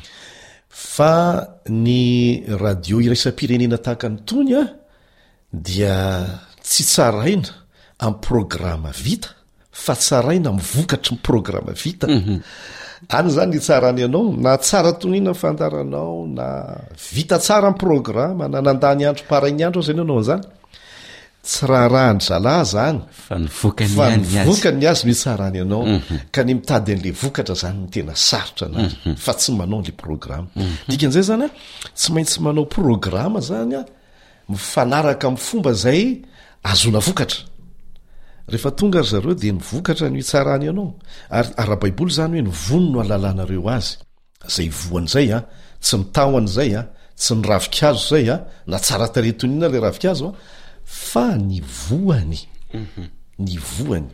Fa ny radio iraisam-pirenena tahaka ny tony a dia tsy tsaraina amin'ny programa vita fa tsaraina amin'ny vokatry ny programa vita. Mhm. Any zany ny tsarany anao, na tsara toniana ny fandaharanao, na vita tsara ny programa, na nandany andro paraigny andro aza ianao nanao an'izany. Tsy raharahan-dry zalahy zany. Fa ny vokany Fa ihany ny ny azy. vokany ny azy no hitsarany anao. Mhm. Ka ny mitady an'le vokatra zany no tena sarotra anazy, Mhm. fa tsy manao an'le programa. Mhm. Dikan'izay zany a, tsy maintsy manao programa zany a, mifanaraka amin'ny fomba izay ahazoana vokatra. Rehefa tonga ry zareo dia ny vokatra no hitsarany anao. Ary ara-baiboly izany hoe ny vono no ahalalanareo azy. Izay voany izay a, tsy ny tahony izay a, tsy ny ravinkazo izay a, na tsara tarehy toy ny inona ilay ravinkazo a, fa ny voany. Ny voany.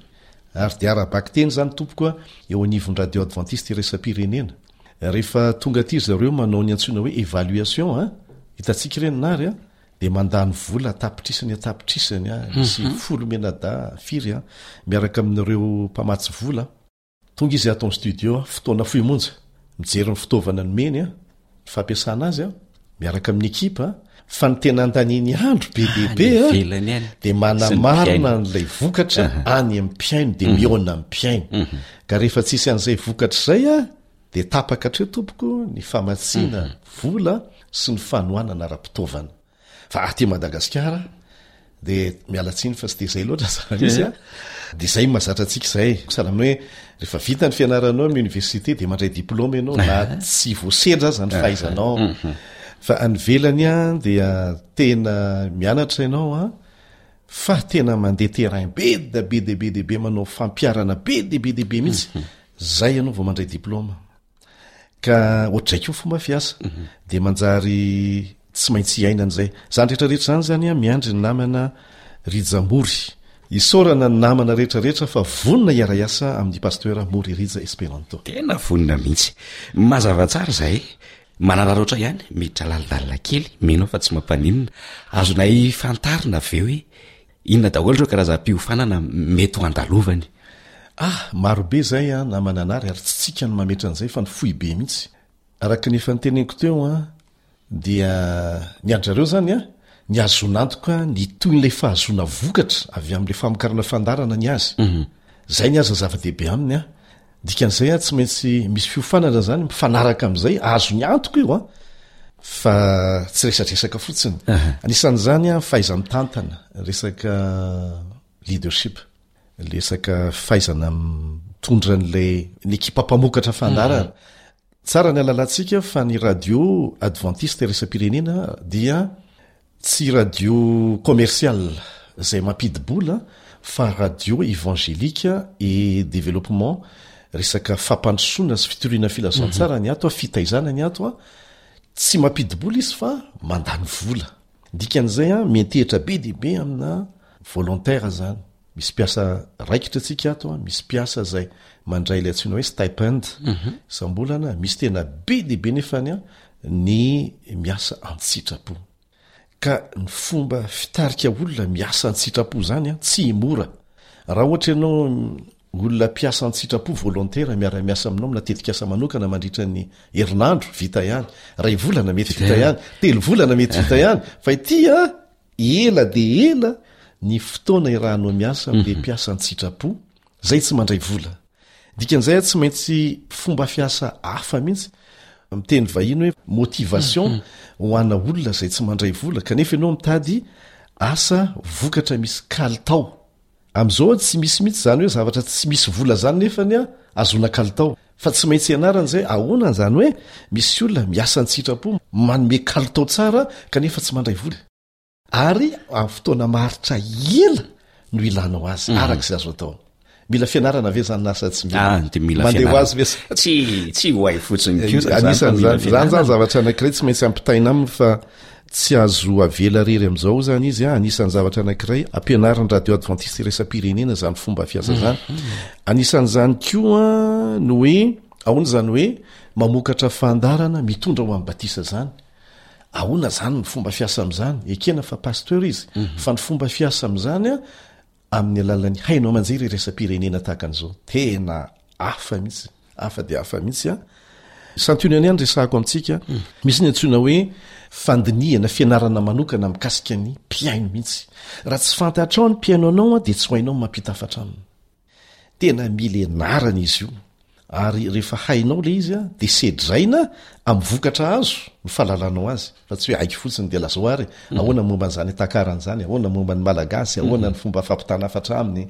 Ary dia ara-bakiteny izany tompoko a, eo anivon'ny Radio Adventiste Iraisam-pirenena. Rehefa tonga aty ry zareo manao ny antsoina hoe évaluation a, hitantsika ireny Nary a, dia mandany vola an-tapitrisany an-tapitrisany a, misy Mhm. folo mianadahy firy a, miaraka amin'ireo mpamatsy vola. Tonga izy ato amin'ny studio, fotoana fohy monja, mijery ny fitaovana nomeny a, ny fampiasana azy a, miaraka amin'ny ekipa, fa ny tena andaniany andro be dia be Any a, ivelany any. dia Sy ny manamarina mpihaino. an'ilay vokatra Aha. any amin'ny mpihaino, dia Mhm. mihaona amin'ny mpihaino. Mhm. Ka rehefa tsisy an'izay vokatra izay a, dia tapaka hatreo tompoko ny famatsiana Mhm. vola sy ny fanohanana ara-pitaovana. Fa aty Madagasikara dia miala tsiny fa tsy dia izay loatra zava-misy a. Dia izay no mahazatra antsika izay. Sahala amin'ny hoe rehefa vita ny fianaranao amin'ny université dia mandray diplôme ianao na tsy voasedra aza ny fahaizanao. Mhm. Fa any ivelany a dia tena mianatra ianao a, fa tena mandeha terrain be dia be dia be dia be, manao fampiharana be dia be dia be mihitsy. Zay ianao vao mandray diplôme. Ka ohatr'izay koa ny fomba fiasa. Dia manjary tsy maintsy iainana izay. Izany rehetra rehetra izany izany an, miandry ny namana Rija Mory. Isaorana ny namana rehetra rehetra fa vonona hiara-hiasa amin'ny Pasteur Mory Rija Esperanto. Tena vonona mihitsy. Mazava tsara izay. Manararaotra ihany, miditra lalindalina kely, mino aho fa tsy mampaninona. Azonay fantarina ve hoe inona daholo ireo karazam-piofanana mety ho andalovany? Ah, maro be izay an, namana Nary, ary tsy tsika no mametra an'izay fa ny foibe mihitsy. Araka ny efa noteneniko teo an, dia ny an-dry zareo izany an, ny ahazoana antoka ny tohin'ilay fahazoana vokatra avy amin'ilay famokarana fandaharana ny azy. Izay ny azy ny zava-dehibe aminy an. Dikan'izay an, tsy maintsy misy fiofanana izany mifanaraka amin'izay, azony antoka io an, fa tsy resadresaka fotsiny. Anisan'izany an, fahaiza-mitantana, resaka leadership. Resaka fahaizana mitondra an'ilay ny ekipa mpamokatra fandaharana. Tsara ny halalantsika fa ny radio adventiste iraisam-pirenena dia tsy radio commercial izay mampidi-bola fa radio évangélique et développement, resaka fampandrosoana sy fitoriana filazantsara ny ato, fitaizana ny ato. Tsy mampidi-bola izy fa mandany vola. Dikan'izay, miantehitra be dia be amina volontaire zany. Misy mpiasa raikitra antsika ato, misy mpiasa izay mandray ilay antsoina hoe stipend isam-bolana, misy tena be dia be nefany ny miasa an-tsitrapo. Ka ny fomba fitarika olona miasa an-tsitrapo izany tsy mora. Raha ohatra ianao Olona mpiasa an-tsitrapo, volontaire, miara-miasa aminao amina tetikasa manokana mandritra ny herinandro, vita ihany. Iray volana mety vita ihany, telo volana mety vita ihany. Fa ity an, ela dia ela ny fotoana iarahanao miasa amin'ilay mpiasa an-tsitrapo, izay tsy mandray vola. Dikan'izay an, tsy maintsy fomba fiasa hafa mihitsy, miteny vahiny hoe motivation ho ana olona izay tsy mandray vola, kanefa ianao mitady asa vokatra misy kalitao. Amin'izao tsy misy mihitsy izany hoe zavatra tsy misy vola izany nefany an, ahazoana kalitao. Fa tsy maintsy ianarana izay, ahoana izany hoe misy olona miasa an-tsitrapo, manome kalitao tsara kanefa tsy mandray vola. Ary amin'ny fotoana maharitra ela no ilanao azy, araka izay azo atao. Mila fianarana ve izany na sa tsy mila? Ah, dia mila Mandeha ho fianarana. azy ve sa Tsy, tsy ho hay fotsiny koa izany fa mila Anisan'izany, izany izany fianarana. zavatra anankiray tsy maintsy ampitaina aminy fa tsy azo avela rery amin'izao izany izy an. Anisan'ny zavatra anankiray ampianarin'ny Radio Adventiste Iraisam-pirenena izany fomba fiasa izany. Anisan'izany koa ny hoe ahoana izany hoe mamokatra fandaharana mitondra ho amin'ny batisa izany. Ahoana izany ny fomba fiasa amin'izany? Ekena fa pasteur izy, fa ny fomba fiasa amin'izany an, amin'ny alalan'ny haino aman-jery iraisam-pirenena tahaka an'izao. Tena hafa mihitsy, hafa dia hafa mihitsy an. Santionany ihany resahako amintsika. Misy ny antsoina hoe fandinihana, fianarana manokana mikasika ny mpihaino mihitsy. Raha tsy fantatrao ny mpihaino anao dia tsy ho hainao ny mampita hafatra aminy. Tena mila ianarana izy io. Ary rehefa hainao ilay izy dia sedraina amin'ny vokatra azo ny fahalalanao azy. Fa tsy hoe haiko fotsiny dia lazao ary ahoana momba an'izany takarana izany, ahoana momba ny Malagasy, ahoana ny fomba fampitana hafatra aminy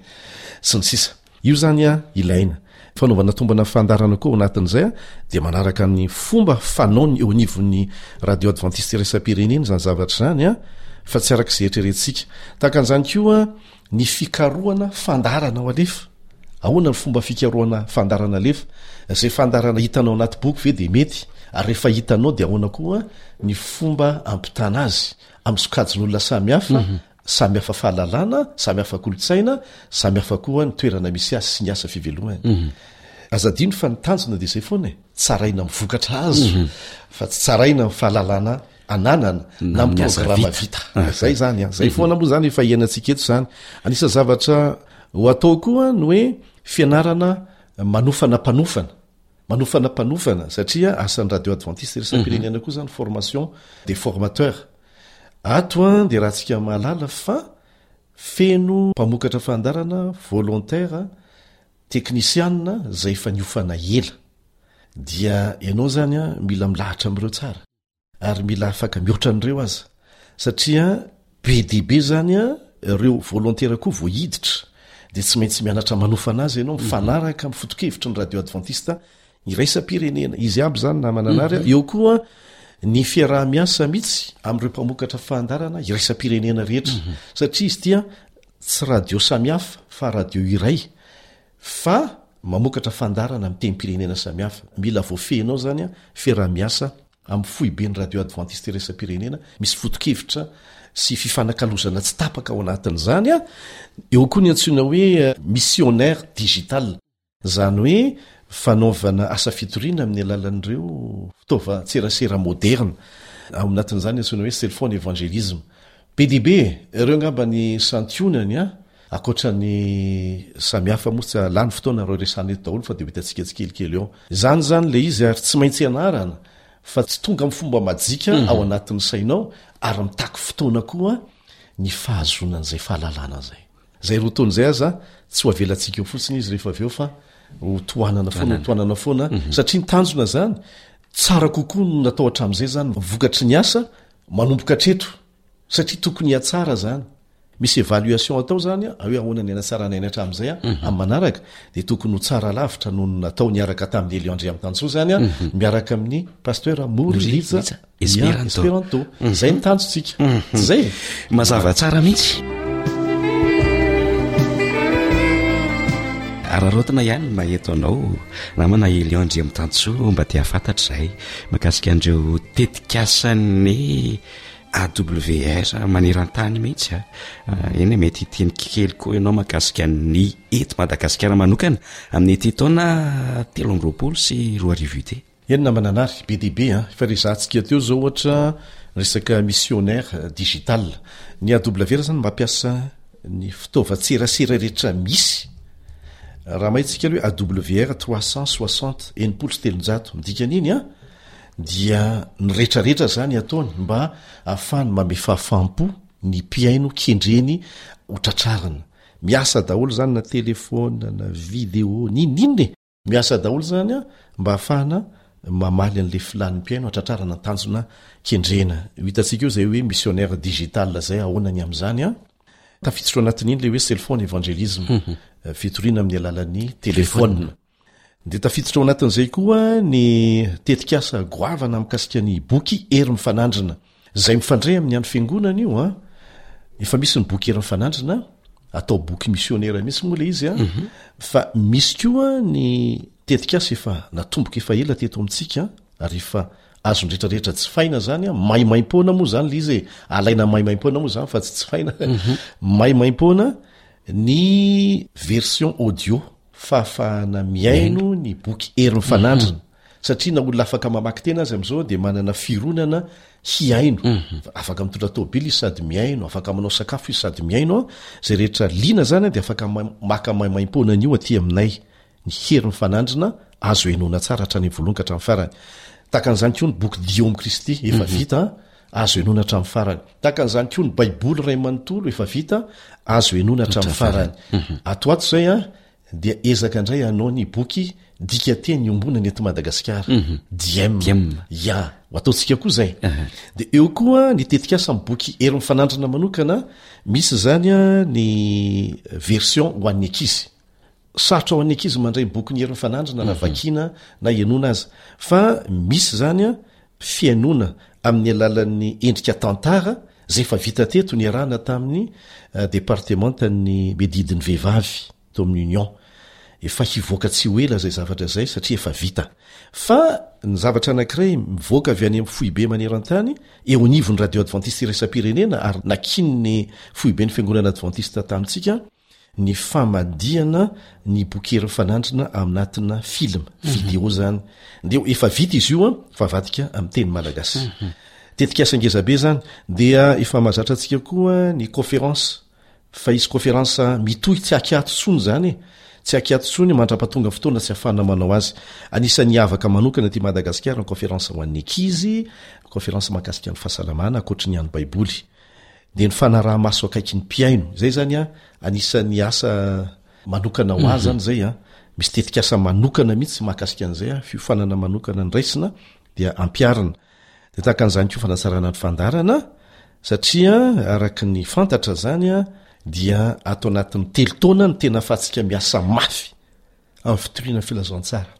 sy ny sisa. Io izany an, ilaina. Fanaovana tombana fandaharana koa ao anatin'izay an, dia manaraka ny fomba fanaony eo anivon'ny Radio Adventiste Iraisam-pirenena izany zavatra izany an, fa tsy araka izay eritreretintsika. Tahaka an'izany koa ny fikarohana fandaharana ho alefa. Ahoana ny fomba fikarohana fandaharana alefa? Izay fandaharana hitanao anaty boky ve dia mety? Ary rehefa hitanao dia ahoana koa ny fomba ampitana azy amin'ny sokajin'olona samihafa, Mhm. samy hafa fahalalana, samy hafa kolontsaina, samy hafa koa ny toerana misy azy sy ny asa fivelomany. Mhm. Aza adino fa ny tanjona dia izay foana e, tsaraina amin'ny vokatra azo, Mhm. fa tsy tsaraina amin'ny fahalalana ananana na amin'ny Amin'ny asa programa vita. vita. Ah. Zay zany an, zay Mhm. foana moa zany efa iainantsika eto zany. Anisan'ny zavatra ho atao koa ny hoe fianarana manofana mpanofana. Manofana mpanofana satria asan'ny Radio Adventiste Iraisam-pirenena koa zany formation des formateurs. Ato an dia raha tsika mahalala fa feno mpamokatra fandaharana volontaire teknisianina izay efa niofana ela. Dia ianao zany an mila milahatra amin'ireo tsara. Ary mila afaka mihoatra an'ireo aza. Satria be dia be zany an ireo volontaire koa vao hiditra. Dia tsy maintsy mianatra manofana azy ianao, mifanaraka amin'ny foto-kevitry ny Radio Adventiste Iraisam-pirenena. Izy aby zany namana anary. Mhm. Eo koa ny fiaraha-miasa mihitsy amin'ireo mpamokatra fandaharana iraisam-pirenena rehetra. Mhm. Satria izy ity an, tsy radio samihafa fa radio iray fa mamokatra fandaharana amin'ny tenim-pirenena samihafa. Mila voafehinao zany an, fiaraha-miasa amin'ny foiben'ny Radio Adventiste Iraisam-pirenena, misy foto-kevitra sy fifanakalozana tsy tapaka ao anatin'izany an. Eo koa ny antsoina hoe missionnaire digital. Izany hoe fanaovana asa fitoriana amin'ny alalan'ireo fitaovan-tserasera moderna. Ao anatin'izany antsoina hoe cellphone évangélisme. Be dia be ireo angamba ny santionany an, ankoatra ny samihafa moa tsy lany fotoana ireo resahana eto daholo fa dia ho hitantsika tsikelikely eo. Izany zany ilay izy ary tsy maintsy ianarana fa tsy tonga amin'ny fomba majika Mhm. ao anatin'ny sainao ary mitaky fotoana koa ny fahazoana an'izay fahalalana izay. Izay roa taona izay aza tsy ho avelantsika eo fotsiny izy rehefa avy eo fa ho tohanana foana, ho tohanana foana. Mhm. Satria ny tanjona zany tsara kokoa no natao hatramin'izay zany vokatry ny asa manomboka hatreto satria tokony hihatsara zany. Misy évaluation atao zany a, hoe ahoana ny hanatsarana aina hatramin'izay a, Mhm. amin'ny manaraka dia tokony ho tsara lavitra noho ny natao niaraka tamin'ny Elion Andriamitansoa zany a, Mhm. miaraka amin'ny pasteur Mory Mory Rija Rija Esperanto. Esperanto. Mhm. Zay ny tanjontsika. Mhm. Tsy zay? Mazava tsara mihitsy. Araraotina ihany ny maheto anao namana Elion Andriamitansoa mba te hahafantatra izay mahakasika an'ireo tetikasan'ny A W R maneran-tany mihitsy a. Eny, mety hiteny kely koa ianao mahakasika ny eto Madagasikara manokana amin'ity taona telo amby roapolo sy roa arivo ity. Eny namana anary, be dia be a. Efa resahantsika teo zao ohatra resaka missionnaire digital. Ny A W R zany mampiasa ny fitaovan-tserasera rehetra misy Raha mahita isika aloha hoe A W R trois cent soixante, enimpolo sy telonjato, midika an'iny an, dia ny rehetrarehetra izany ataony mba ahafahany mamehy fahafaham-po ny mpihaino kendreny ho tratrarina. Miasa daholo izany na telefaonina na video n'inon'inona e! Miasa daholo izany an, mba ahafahana mamaly an'ilay filàn'ny mpihaino hatratrarana ny tanjona kendrena. Ho hitantsika eo izay hoe missionnaire digital izay, ahoana ny amin'izany an? Tafiditra ao anatin'iny ilay hoe cellphone evangelism, fitoriana amin'ny alalan'ny telefaonina. Dia tafiditra ao anatin'izay koa ny tetikasa goavana mikasika ny boky Hery Mifanandrina, izay mifandray amin'ny andro fiangonana io an. Efa misy ny boky Hery Mifanandrina, atao boky misionera mihitsy moa ilay izy an, mhm. fa misy koa ny tetikasa efa natomboka efa ela teto amintsika ary efa azon'ny rehetrarehetra jifaina izany an, maimaimpoana moa izany ilay izy e, alaina maimaimpoana moa izany fa tsy jifaina, mhm. maimaimpoana ny version audio. Fahafahana mihaino ny boky Hery Mifanandrina, satria na olona afaka mamaky tena aza amin'izao dia manana fironana hihaino. Afaka mitondra tômôbila izy sady mihaino, afaka manao sakafo izy sady mihaino. Izay rehetra liana izany dia afaka maka maimaimpoana an'io aty aminay. Ny Hery Mifanandrina azo henoina tsara hatrany amin'ny voalohany ka hatramin'ny farany. Tahaka an'izany koa ny boky Dio amin'i Kristy, efa vita, azo henoina hatramin'ny farany. Tahaka an'izany koa ny Baiboly iray manontolo efa vita, azo henoina hatramin'ny farany. Ato ho ato izay an, dia ezaka indray hanao ny boky dikateny iombonana eto Madagasikara, Diem. Ya, ho ataontsika koa izay. Dia eo koa ny tetikasa amin'ny boky Hery Mifanandrina manokana, misy izany ny version ho an'ny ankizy. Sarotra ho an'ny ankizy mandray ny bokin'i Hery Mifanandrina na vakiana na henoina aza. Fa misy izany fihainoana amin'ny alalan'ny endrika tantara izay efa vita teto niarahana tamin'ny departemantan'ny miadidy ny vehivavy tao amin'ny Union. Efa hivoaka tsy ho ela izay zavatra izay satria efa vita. Fa ny zavatra anankiray mivoaka avy any amin'ny foibe maneran-tany eo anivon'ny Radio Adventiste Iraisam-pirenena ary nakian'ny foiben'ny Fiangonana Adventiste tamintsika, ny famadihana ny boky Hery Mifanandrina aminatina film, video zany. Dia efa vita izy io an, fa avadika amin'ny teny malagasy. Tetikasa ngeza be zany. Dia efa mahazatra antsika koa ny conférence, fa hisy conférence mitohy tsy akiato intsony zany e. Tsy akiato intsony mandra-pahatonga fotoana tsy ahafahana manao azy. Anisan'ny hiavaka manokana aty Madagasikara ny conférence ho an'ny ankizy, conférence mahakasika ny fahasalamana ankoatry ny an'ny baiboly. Dia ny fanaraha-maso akaiky ny mpihaino. Izay izany an, anisan'ny asa manokana ho ahy izany izay an. Misy tetikasa manokana mihitsy mahakasika an'izay an, fiofanana manokana noraisina dia ampiharina. Dia tahaka an'izany koa fanatsarana ny fandaharana, satria araka ny fantatra izany an, dia ato anatin'ny telo taona no tena ahafahantsika miasa mafy amin'ny fitoriana ny filazantsara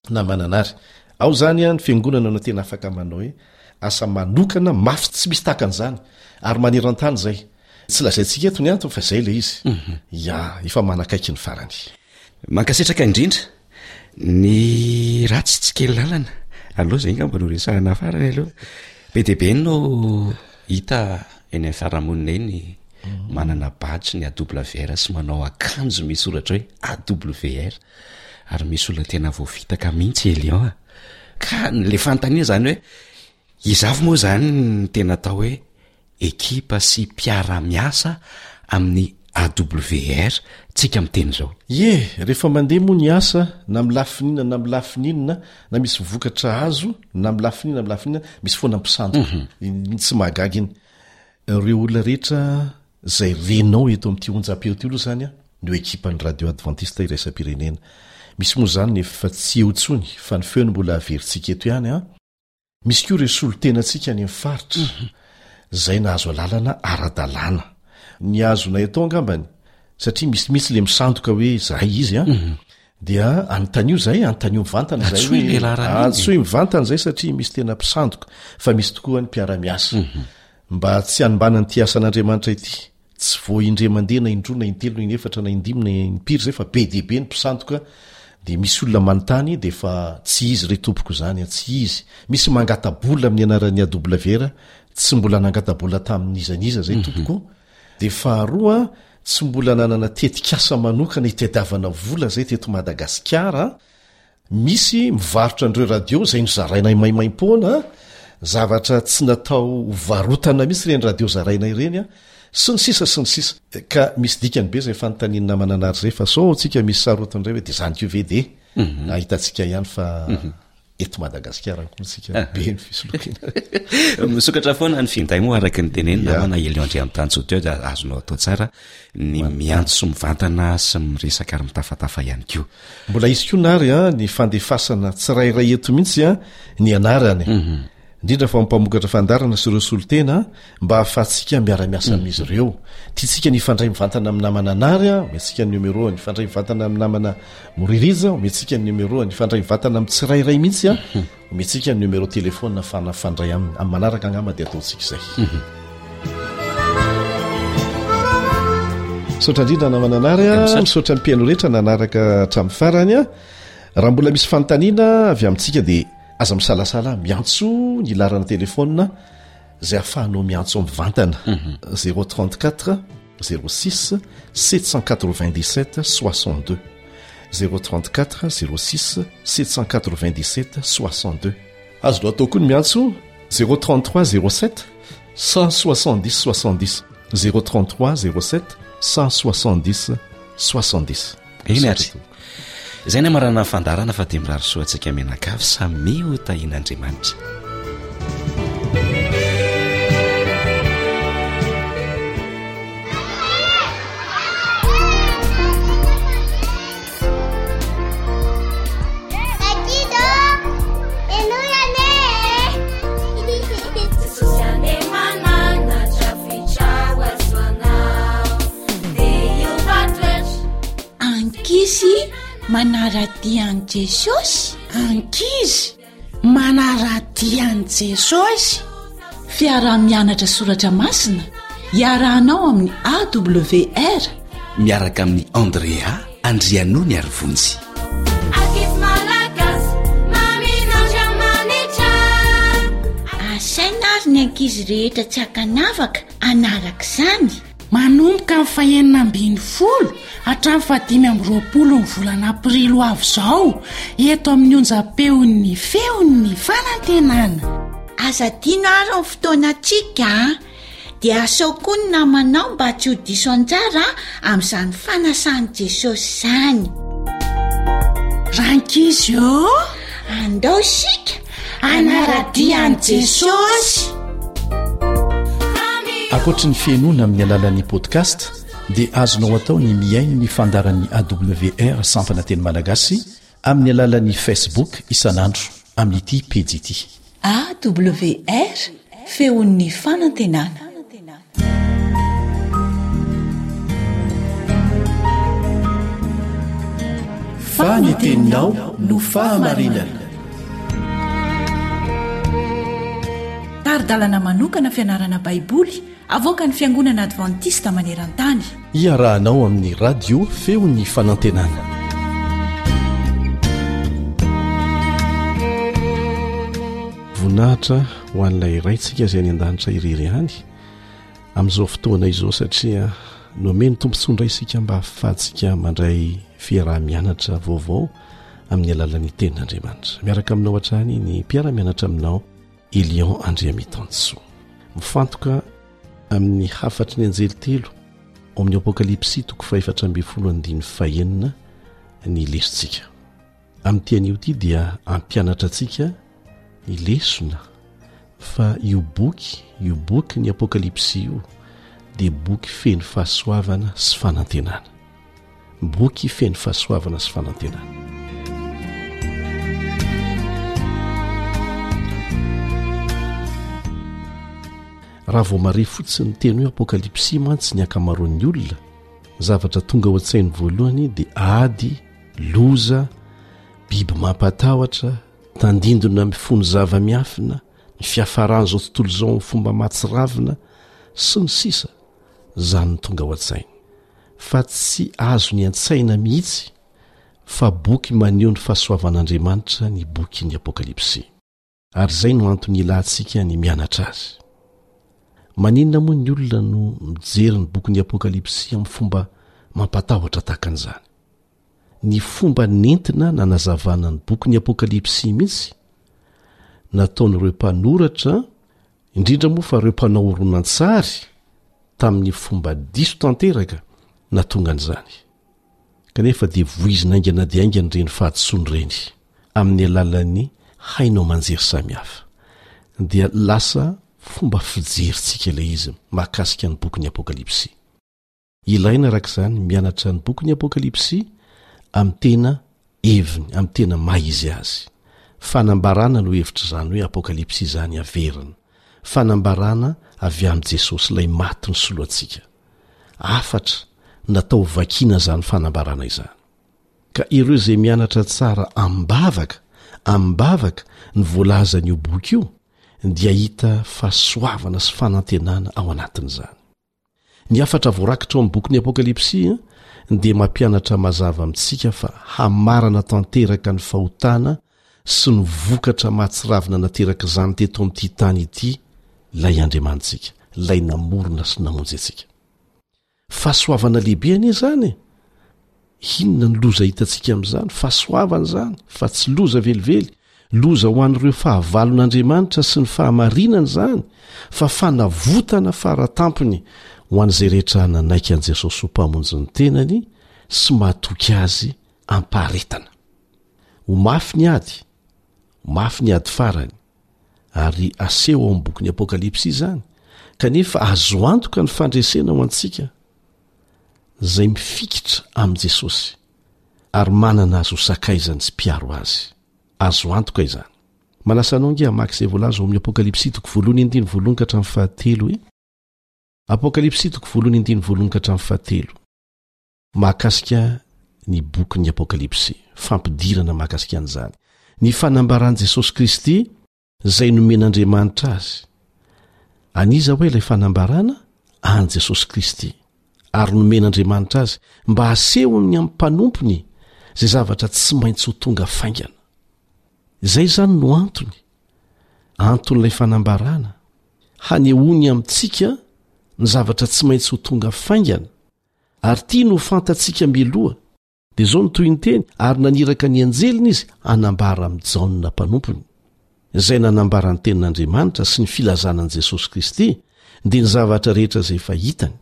na mananary. Ao izany ny fiangonana no tena afaka manao hoe asa manokana mafy tsy misy tahaka an'izany ary maneran-tany izay. Tsy lazaintsika eto ny antony fa izay ilay izy. Ya, efa manakaiky ny farany. Mankasitraka indrindra. Ny ratsy tsy kely lalana. Aleo izay angamba no resahana farany aloha. Be dia be no hita eny amin'ny fiarahamonina eny manana badge ny A W R sy manao akanjo misy soratra hoe A W R ary misy olona tena voafitaka mihitsy Elion a. Ka le fanontaniana zany hoe iza avy moa zany ny tena atao hoe ekipa sy mpiara-miasa amin'ny A W R tsika miteny izao? Ie, rehefa mandeha moa ny asa na amin'ny lafiny inona na amin'ny lafiny inona, na misy vokatra azo na amin'ny lafiny inona na amin'ny lafiny inona, misy foana mpisandoka. Iny tsy mahagaga iny. Ireo olona rehetra izay renao eto amin'ity onjam-peo ity aloha izany no ekipan'ny Radio Adventiste Iraisam-pirenena. Misy moa izany ny efa tsy eo intsony fa ny feony mbola averintsika eto ihany an. Misy koa ireo solontenantsika any amin'ny faritra izay nahazo alalana ara-dalàna. Ny azonay atao angambany, satria misy mihitsy ilay misandoka hoe izahay izy an, dia anontanio izahay, anontanio mivantana izahay Antsoy hoe ilay laharana iny e. Antsoy mivantana izahay satria misy tena mpisandoka, fa misy tokoa ny mpiara-miasa. Mba tsy hanimbana an'ity asan'Andriamanitra ity. Tsy vao indray mandeha na indroa na intelo na inefatra na indimy na impiry izay fa be dia be ny mpisandoka dia misy olona manontany dia efa tsy izy re tompoko izany an, tsy izy. Misy mangata-bola amin'ny anaran'ny A W R, tsy mbola nangata-bola tamin'iza n'iza izay tompoko. Dia faharoa, tsy mbola nanana tetikasa manokana hitadiavana vola izay teto Madagasikara. Misy mivarotra an'ireo radio izay nozarainay maimaimpoana, zavatra tsy natao ho varotana mihitsy ireny radio zaraina ireny, Sy ny sisa sy ny sisa. Ka misy dikany be izay fanontanian'ny namana Nary izay, fa sao tsika misy sarotiny indray hoe dia izany koa ve dia ahitantsika ihany fa eto Madagasikara koa tsika be ny fisolokiana. Misokatra foana ny finday moa araka ny tenenina namana Elion Andriamitansoa teo, dia azonao atao tsara ny miantso mivantana sy miresaka ary mitafatafa ihany koa. Mbola hisy koa Nary a, ny fandefasana tsirairay eto mihitsy a, ny anarany. Mhm. Indrindra fa mpamokatra fandaharana sy ireo solontena mba ahafahantsika miara-miasa Mhm. amin'izy ireo. Tiantsika ny hifandray mivantana amin'ny namana Nary a, omentsika ny numéro ny hifandray mivantana amin'ny namana Moririja, omentsika ny numéro ny hifandray mivantana amin'ny tsirairay mihitsy a, Mhm. omentsika ny numéro téléphone ahafahana mifandray aminy. Amin'ny manaraka angamba dia ataontsika izay. Mhm. Misaotra indrindra namana Nary a, Misaotra. misaotra ny mpihaino rehetra nanaraka hatramin'ny farany a. Raha mbola misy fanontaniana avy amintsika dia aza misalasala miantso ny laharana téléphone izay ahafahanao miantso mivantana. Mhm. zéro trente-quatre zéro six sept cent quatre-vingt-dix-sept soixante-deux. zéro trente-quatre zéro six sept cent quatre-vingt-dix-sept soixante-deux. Azonao atao koa ny miantso zéro trente-trois zéro sept cent soixante-dix soixante-dix. zéro trente-trois zéro sept cent soixante-dix soixante-dix. Eny ary. Izay ny amarana ny fandaharana fa dia mirary soa antsika mianakavy samy ho tahian'Andriamanitra. Ankizy manara-dia an'i Jesosy. Ankizy manara-dia an'i Jesosy. Fiaraha-mianatra soratra masina iarahanao amin'ny A W R miaraka amin'ny Andrea Andrianony ary Vonjy. Ankizy malagasy mamin'Andriamanitra. Asaina ary ny ankizy rehetra tsy ankanavaka hanaraka izany. Manomboka amin'ny fahenina ambin'ny folo hatramin'ny fahadimy amby roapolo ny volana aprily ho avy izao eto amin'ny onjam-peon'ny feon'ny fanantenana. Aza adino ary ny fotoanantsika a. Dia asao koa ny namanao mba tsy ho diso anjara amin'izany fanasan'i Jesosy izany. Rankizy ô, andao isika hanara-dia an'i Jesosy. Ankoatry ny fihainoana amin'ny alalan'ny podcast dia azonao atao ny mihaino ny fandaharan'ny A W R sampana teny malagasy amin'ny alalan'ny Facebook isan'andro amin'ity pejy ity. A W R feon'ny fanantenana. Fa ny teninao no fahamarinana. Tari-dalana manokana fianarana Baiboly avoakan'ny Fiangonana Adventista maneran-tany. Iarahanao amin'ny radio feon'ny fanantenana. Voninahitra ho an'ilay Raintsika izay any an-danitra irery ihany amin'izao fotoana izao, satria nomeny tombontsoa indray isika mba hahafahantsika mandray fiaraha-mianatra vaovao amin'ny alalan'ny tenin'Andriamanitra. Miaraka aminao hatrany ny mpiara-mianatra aminao Elion Andriamitansoa. Mifantoka amin'ny hafatry ny anjely telo ao amin'ny Apokalypsy toko fahefatra ambin'ny folo andininy fahenina ny lesontsika. Amin'ity anio ity dia ampianatra antsika ny lesona fa io boky, io boky ny Apokalypsy io dia boky feno fahasoavana sy fanantenana. Boky feno fahasoavana sy fanantenana. Raha vao mare fotsiny ny teny hoe Apokalypsy mantsy ny ankamaroan'ny olona, zavatra tonga ao an-tsainy voalohany dia ady, loza, biby mampatahotra, tandindona mifono zava-miafina, ny fiafaran'izao tontolo izao amin'ny fomba mahatsiravina sy ny sisa. Izany no tonga ao an-tsainy. Fa tsy azony an-tsaina mihitsy fa boky maneho ny fahasoavan'Andriamanitra ny bokin'ny Apokalypsy. Ary izay no antony ilantsika ny mianatra azy. Maninona moa ny olona no mijery ny bokin'ny Apokalypsy amin'ny fomba mampatahotra tahaka an'izany? Ny fomba nentina nanazavana ny bokin'ny Apokalypsy mihitsy nataon'ireo mpanoratra, indrindra moa fa ireo mpanao horonantsary tamin'ny fomba diso tanteraka nahatonga an'izany. Kanefa dia voizina haingana dia haingana ireny fahadisoana ireny amin'ny alalan'ny haino aman-jery samihafa. Dia lasa fomba fijerintsika ilay izy mahakasika ny bokin'ny Apokalypsy. Ilaina araka izany ny mianatra ny bokin'ny Apokalypsy amin'ny tena heviny, amin'ny tena maha izy azy. Fanambarana no hevitr'izany hoe Apokalypsy izany averina. Fanambarana avy amin'i Jesosy ilay maty nisolo antsika. Hafatra natao hovakiana izany fanambarana izany. Ka ireo izay mianatra tsara amim-bavaka, amim-bavaka ny voalazan'io boky io dia hahita fahasoavana sy fanantenana ao anatin'izany. Ny hafatra voarakitra ao amin'ny bokin'ny Apokalypsy dia mampianatra mazava amintsika fa hamarana tanteraka ny fahotana sy ny vokatra mahatsiravina naterak'izany teto amin'ity tany ity ilay Andriamanitsika, ilay namorona sy namonjy antsika. Fahasoavana lehibe anie izany e! Inona ny loza hitantsika amin'izany? Fahasoavana izany, fa tsy loza velively. Loza ho an'ireo fahavalon'Andriamanitra sy ny fahamarinana izany, fa fanavotana fara tampony ho an'izay rehetra nanaiky an'i Jesosy ho Mpamonjy ny tenany sy mahatoky Azy am-paharetana. Ho mafy ny ady, ho mafy ny ady farany, ary aseho ao amin'ny bokin'ny Apokalypsy izany, kanefa azo antoka ny fandresena ho antsika izay mifikitra amin'i Jesosy ary manana azy ho sakaizany sy mpiaro azy. Azo antoka izany. Manasa anao ange hamaky izay voalaza ao amin'ny Apokalypsy toko voalohany andininy voalohany ka hatramin'ny fahatelo e. Apokalypsy toko voalohany andininy voalohany ka hatramin'ny fahatelo. Mahakasika ny bokin'ny Apokalypsy, fampidirana mahakasika an'izany. Ny fanambaran'i Jesosy Kristy izay nomen'Andriamanitra azy. An'iza hoe ilay fanambarana? An'i Jesosy Kristy. Ary nomen'Andriamanitra azy mba hasehony amin'ny mpanompony izay zavatra tsy maintsy ho tonga faingana. Izay izany no antony. Anton'ilay fanambarana, hanehoany amintsika ny zavatra tsy maintsy ho tonga faingana. Ary tiany ho fantatsika mialoha. Dia izao no tohiny teny, Ary naniraka ny anjeliny izy hanambara amin'i Jaona mpanompony, izay nanambara ny tenin'Andriamanitra sy ny filazana an'i Jesosy Kristy, dia ny zavatra rehetra izay efa hitany.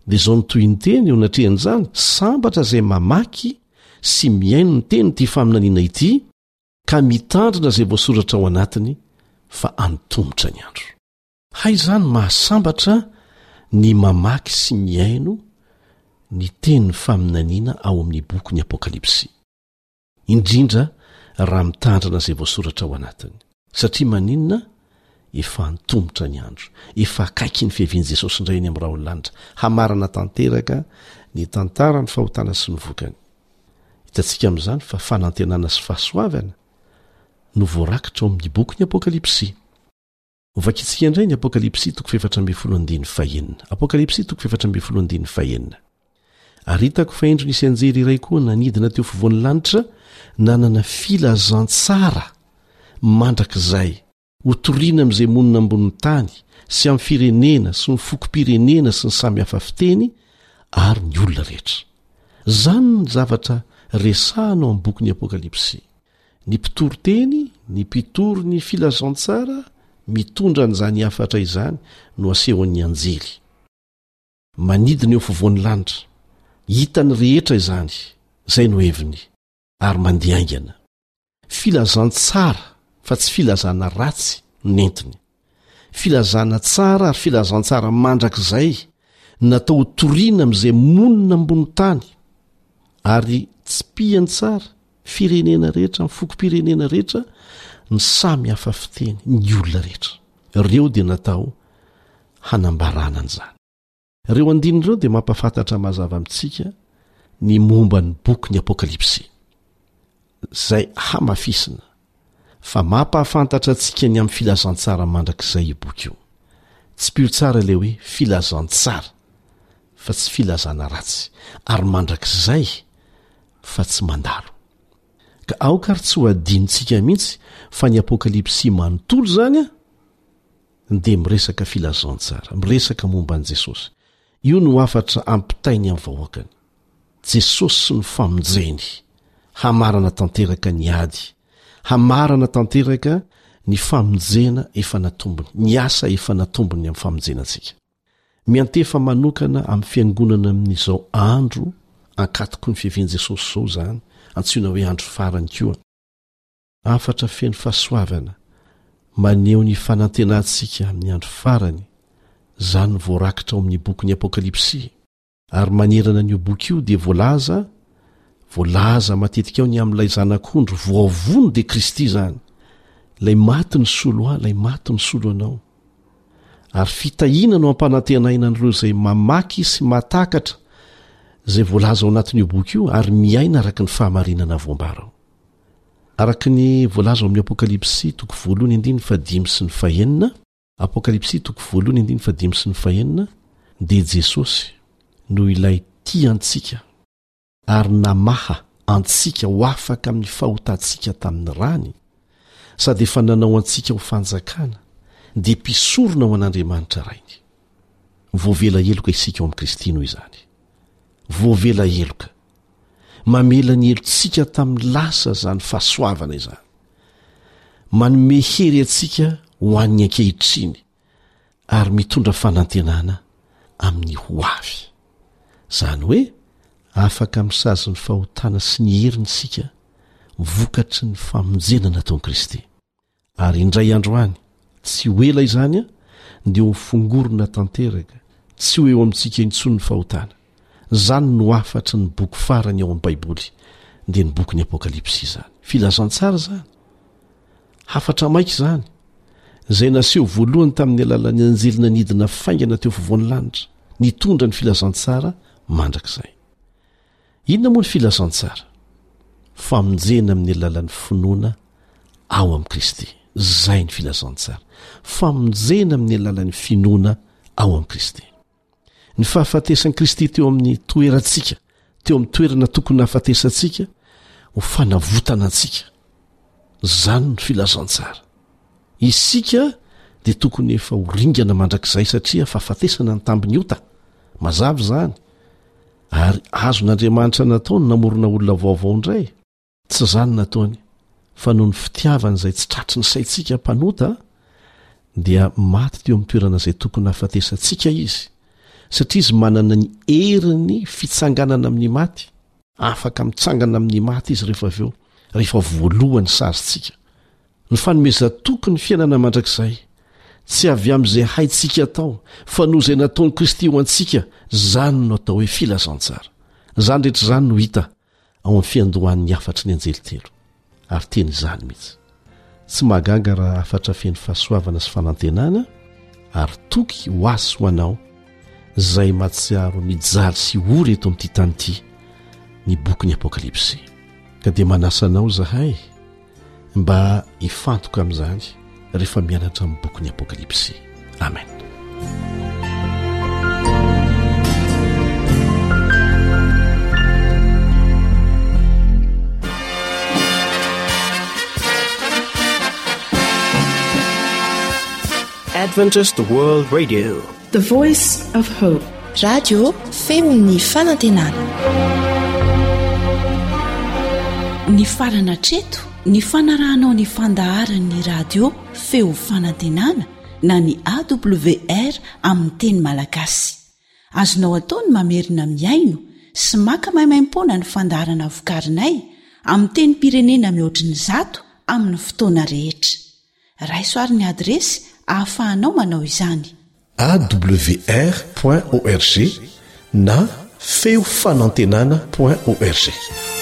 Dia izao no tohiny teny eo anatrehan'izany, Sambatra izay mamaky sy mihaino ny tenin'ity faminaniana ity, ka mitandrina izay voasoratra ao anatiny, fa antomotra ny andro. Hay izany mahasambatra ny mamaky sy mihaino ny tenin'ny faminaniana ao amin'ny bokin'ny Apokalypsy, indrindra raha mitandrina izay voasoratra ao anatiny. Satria maninona? Efa antomotra ny andro, efa akaiky ny fiavian'i Jesosy indray eny amin'ny rahon'ny lanitra, hamarana tanteraka ny tantaran'ny fahotana sy ny vokany. Hitantsika amin'izany fa fanantenana sy fahasoavana no voarakitra ao amin'ny bokin'ny Apokalypsy. Hovakintsika indray ny Apokalypsy toko fahefatra ambin'ny folo andininy fahenina. Apokalypsy toko fahefatra ambin'ny folo andininy fahenina. Ary hitako fa indro nisy anjely iray koa nanidina teo afovoan'ny lanitra, nanana filazantsara mandrakizay, hotorina amin'izay monina ambonin'ny tany, sy amin'ny firenena, sy ny fokom-pirenena, sy ny samy hafa fiteny, ary ny olona rehetra. Izany ny zavatra resahana ao amin'ny bokin'ny Apokalypsy. Ny mpitory teny, ny mpitory ny filazantsara mitondra an'izany hafatra izany no asehon'ny anjely. Manidina eo afovoan'ny lanitra. Hitan'ny rehetra izany. Izay no heviny. Ary mandeha haingana. Filazantsara fa tsy filazana ratsy no nentiny. Filazana tsara ary filazantsara mandrakizay natao ho toriana amin'izay monina ambony tany ary tsipihany tsara firenena rehetra, ny fokom-pirenena rehetra, ny samy hafa fiteny, ny olona rehetra. Ireo dia natao hanambarana an'izany. Ireo andininy ireo dia mampahafantatra mazava amintsika ny momba ny bokin'ny Apokalypsy, izay hamafisina fa mampahafantatra antsika ny amin'ny filazantsara mandrakizay io boky io. Tsipiho tsara ilay hoe filazantsara fa tsy filazana ratsy, ary mandrakizay fa tsy mandalo. Ka aoka ary tsy ho adinontsika mihitsy fa ny Apokalypsy manontolo izany an, dia miresaka filazantsara, miresaka momba an'i Jesosy. Io no hafatra ampitainy amin'ny vahoakany. Jesosy sy ny famonjeny, hamarana tanteraka ny ady, hamarana tanteraka ny famonjena efa natombony, ny asa efa natombony amin'ny famonjena antsika. Miantefa manokana amin'ny fiangonana amin'izao andro ankatoky ny fiavian'i Jesosy izao izany, antsoina hoe andro farany koa. Hafatra feno fahasoavana, maneho ny fanantenantsika amin'ny andro farany, izany no voarakitra ao amin'ny bokin'ny Apokalypsy. Ary manerana an'io boky io dia voalaza, voalaza matetika ao ny amin'ilay Zanak'ondry voavono dia Kristy izany, ilay maty nisolo ahy, ilay maty nisolo anao. Ary fitahiana no ampanantenaina an'ireo izay mamaky sy mahatakatra izay voalaza ao anatin'io boky io ary miaina araka ny fahamarinana voambara ao. Araka ny voalaza ao amin'ny Apokalypsy toko voalohany andininy fahadimy sy ny fahenina, Apokalypsy toko voalohany andininy fahadimy sy ny fahenina, dia Jesosy no ilay tia antsika ary namaha antsika ho afaka amin'ny fahotantsika tamin'ny rany, sady efa nanao antsika ho fanjakana, dia mpisorona ho an'Andriamanitra Rainy. Voavela heloka isika ao amin'i Kristy noho izany. Voavela heloka. Mamela ny helotsika tamin'ny lasa izany fahasoavana izany. Manome hery antsika ho an'ny ankehitriny ary mitondra fanantenana amin'ny ho avy. Izany hoe afaka amin'ny sazin'ny fahotana sy ny heriny isika vokatry ny famonjena nataon'i Kristy. Ary indray andro any, tsy ho ela izany, dia ho fongorona tanteraka, tsy ho eo amintsika intsony ny fahotana. Izany no hafatry ny boky farany ao amin'ny Baiboly, dia ny bokin'ny Apokalypsy izany. Filazantsara izany. Hafatra maika izany, izay naseho voalohany tamin'ny alalan'ny anjely nanidina faingana teo afovoan'ny lanitra, nitondra ny filazantsara mandrakizay. Inona moa ny filazantsara? Famonjena amin'ny alalan'ny finoana ao amin'i Kristy. Izay ny filazantsara. Famonjena amin'ny alalan'ny finoana ao amin'i Kristy. Ny fahafatesan'i Kristy teo amin'ny toerantsika, teo amin'ny toerana tokony nahafatesantsika, ho fanavotana antsika. Izany ny filazantsara. Isika dia tokony efa ho ringana mandrakizay satria fahafatesana ny tambin'ny ota. Mazava izany. Ary azon'Andriamanitra natao ny namorona olona vaovao indray. Tsy izany nataony, fa noho ny fitiavany izay tsy tratry ny saintsika mpanota, dia maty teo amin'ny toerana izay tokony hahafatesantsika izy, satria izy manana ny herin'ny fitsanganana amin'ny maty. Afaka mitsangana amin'ny maty izy rehefa avy eo, rehefa voalohany sazintsika. Ny fanomezan-toky ny fiainana mandrakizay, tsy avy amin'izay haintsika atao, fa noho izay nataon'i Kristy ho antsika, izany no atao hoe filazantsara. Izany rehetra izany no hita ao amin'ny fiandohan'ny hafatry ny anjely telo. Ary tena izany mihitsy. Tsy mahagaga raha hafatra feno fahasoavana sy fanantenana ary toky ho ahy sy ho anao izay mahatsiaro mijaly sy ory eto amin'ity tany ity ny bokin'ny Apokalypsy. Ka dia manasa anao izahay mba hifantoka amin'izany rehefa mianatra amin'ny bokin'ny Apokalypsy. Amen. Adventist World Radio. The Voice of Hope. Radio feon'ny fanantenana. Nifarana hatreto ny fanarahanao ny fandaharan'ny radio feo fanantenana na ny A W R amin'ny teny malagasy. Azonao atao ny mamerina mihaino sy maka maimaimpoana ny fandaharana vokarinay amin'ny tenim-pirenena mihoatry ny zato amin'ny fotoana rehetra. Raiso ary ny adiresy ahafahanao manao izany. A W R point org na feo fanantenana point org.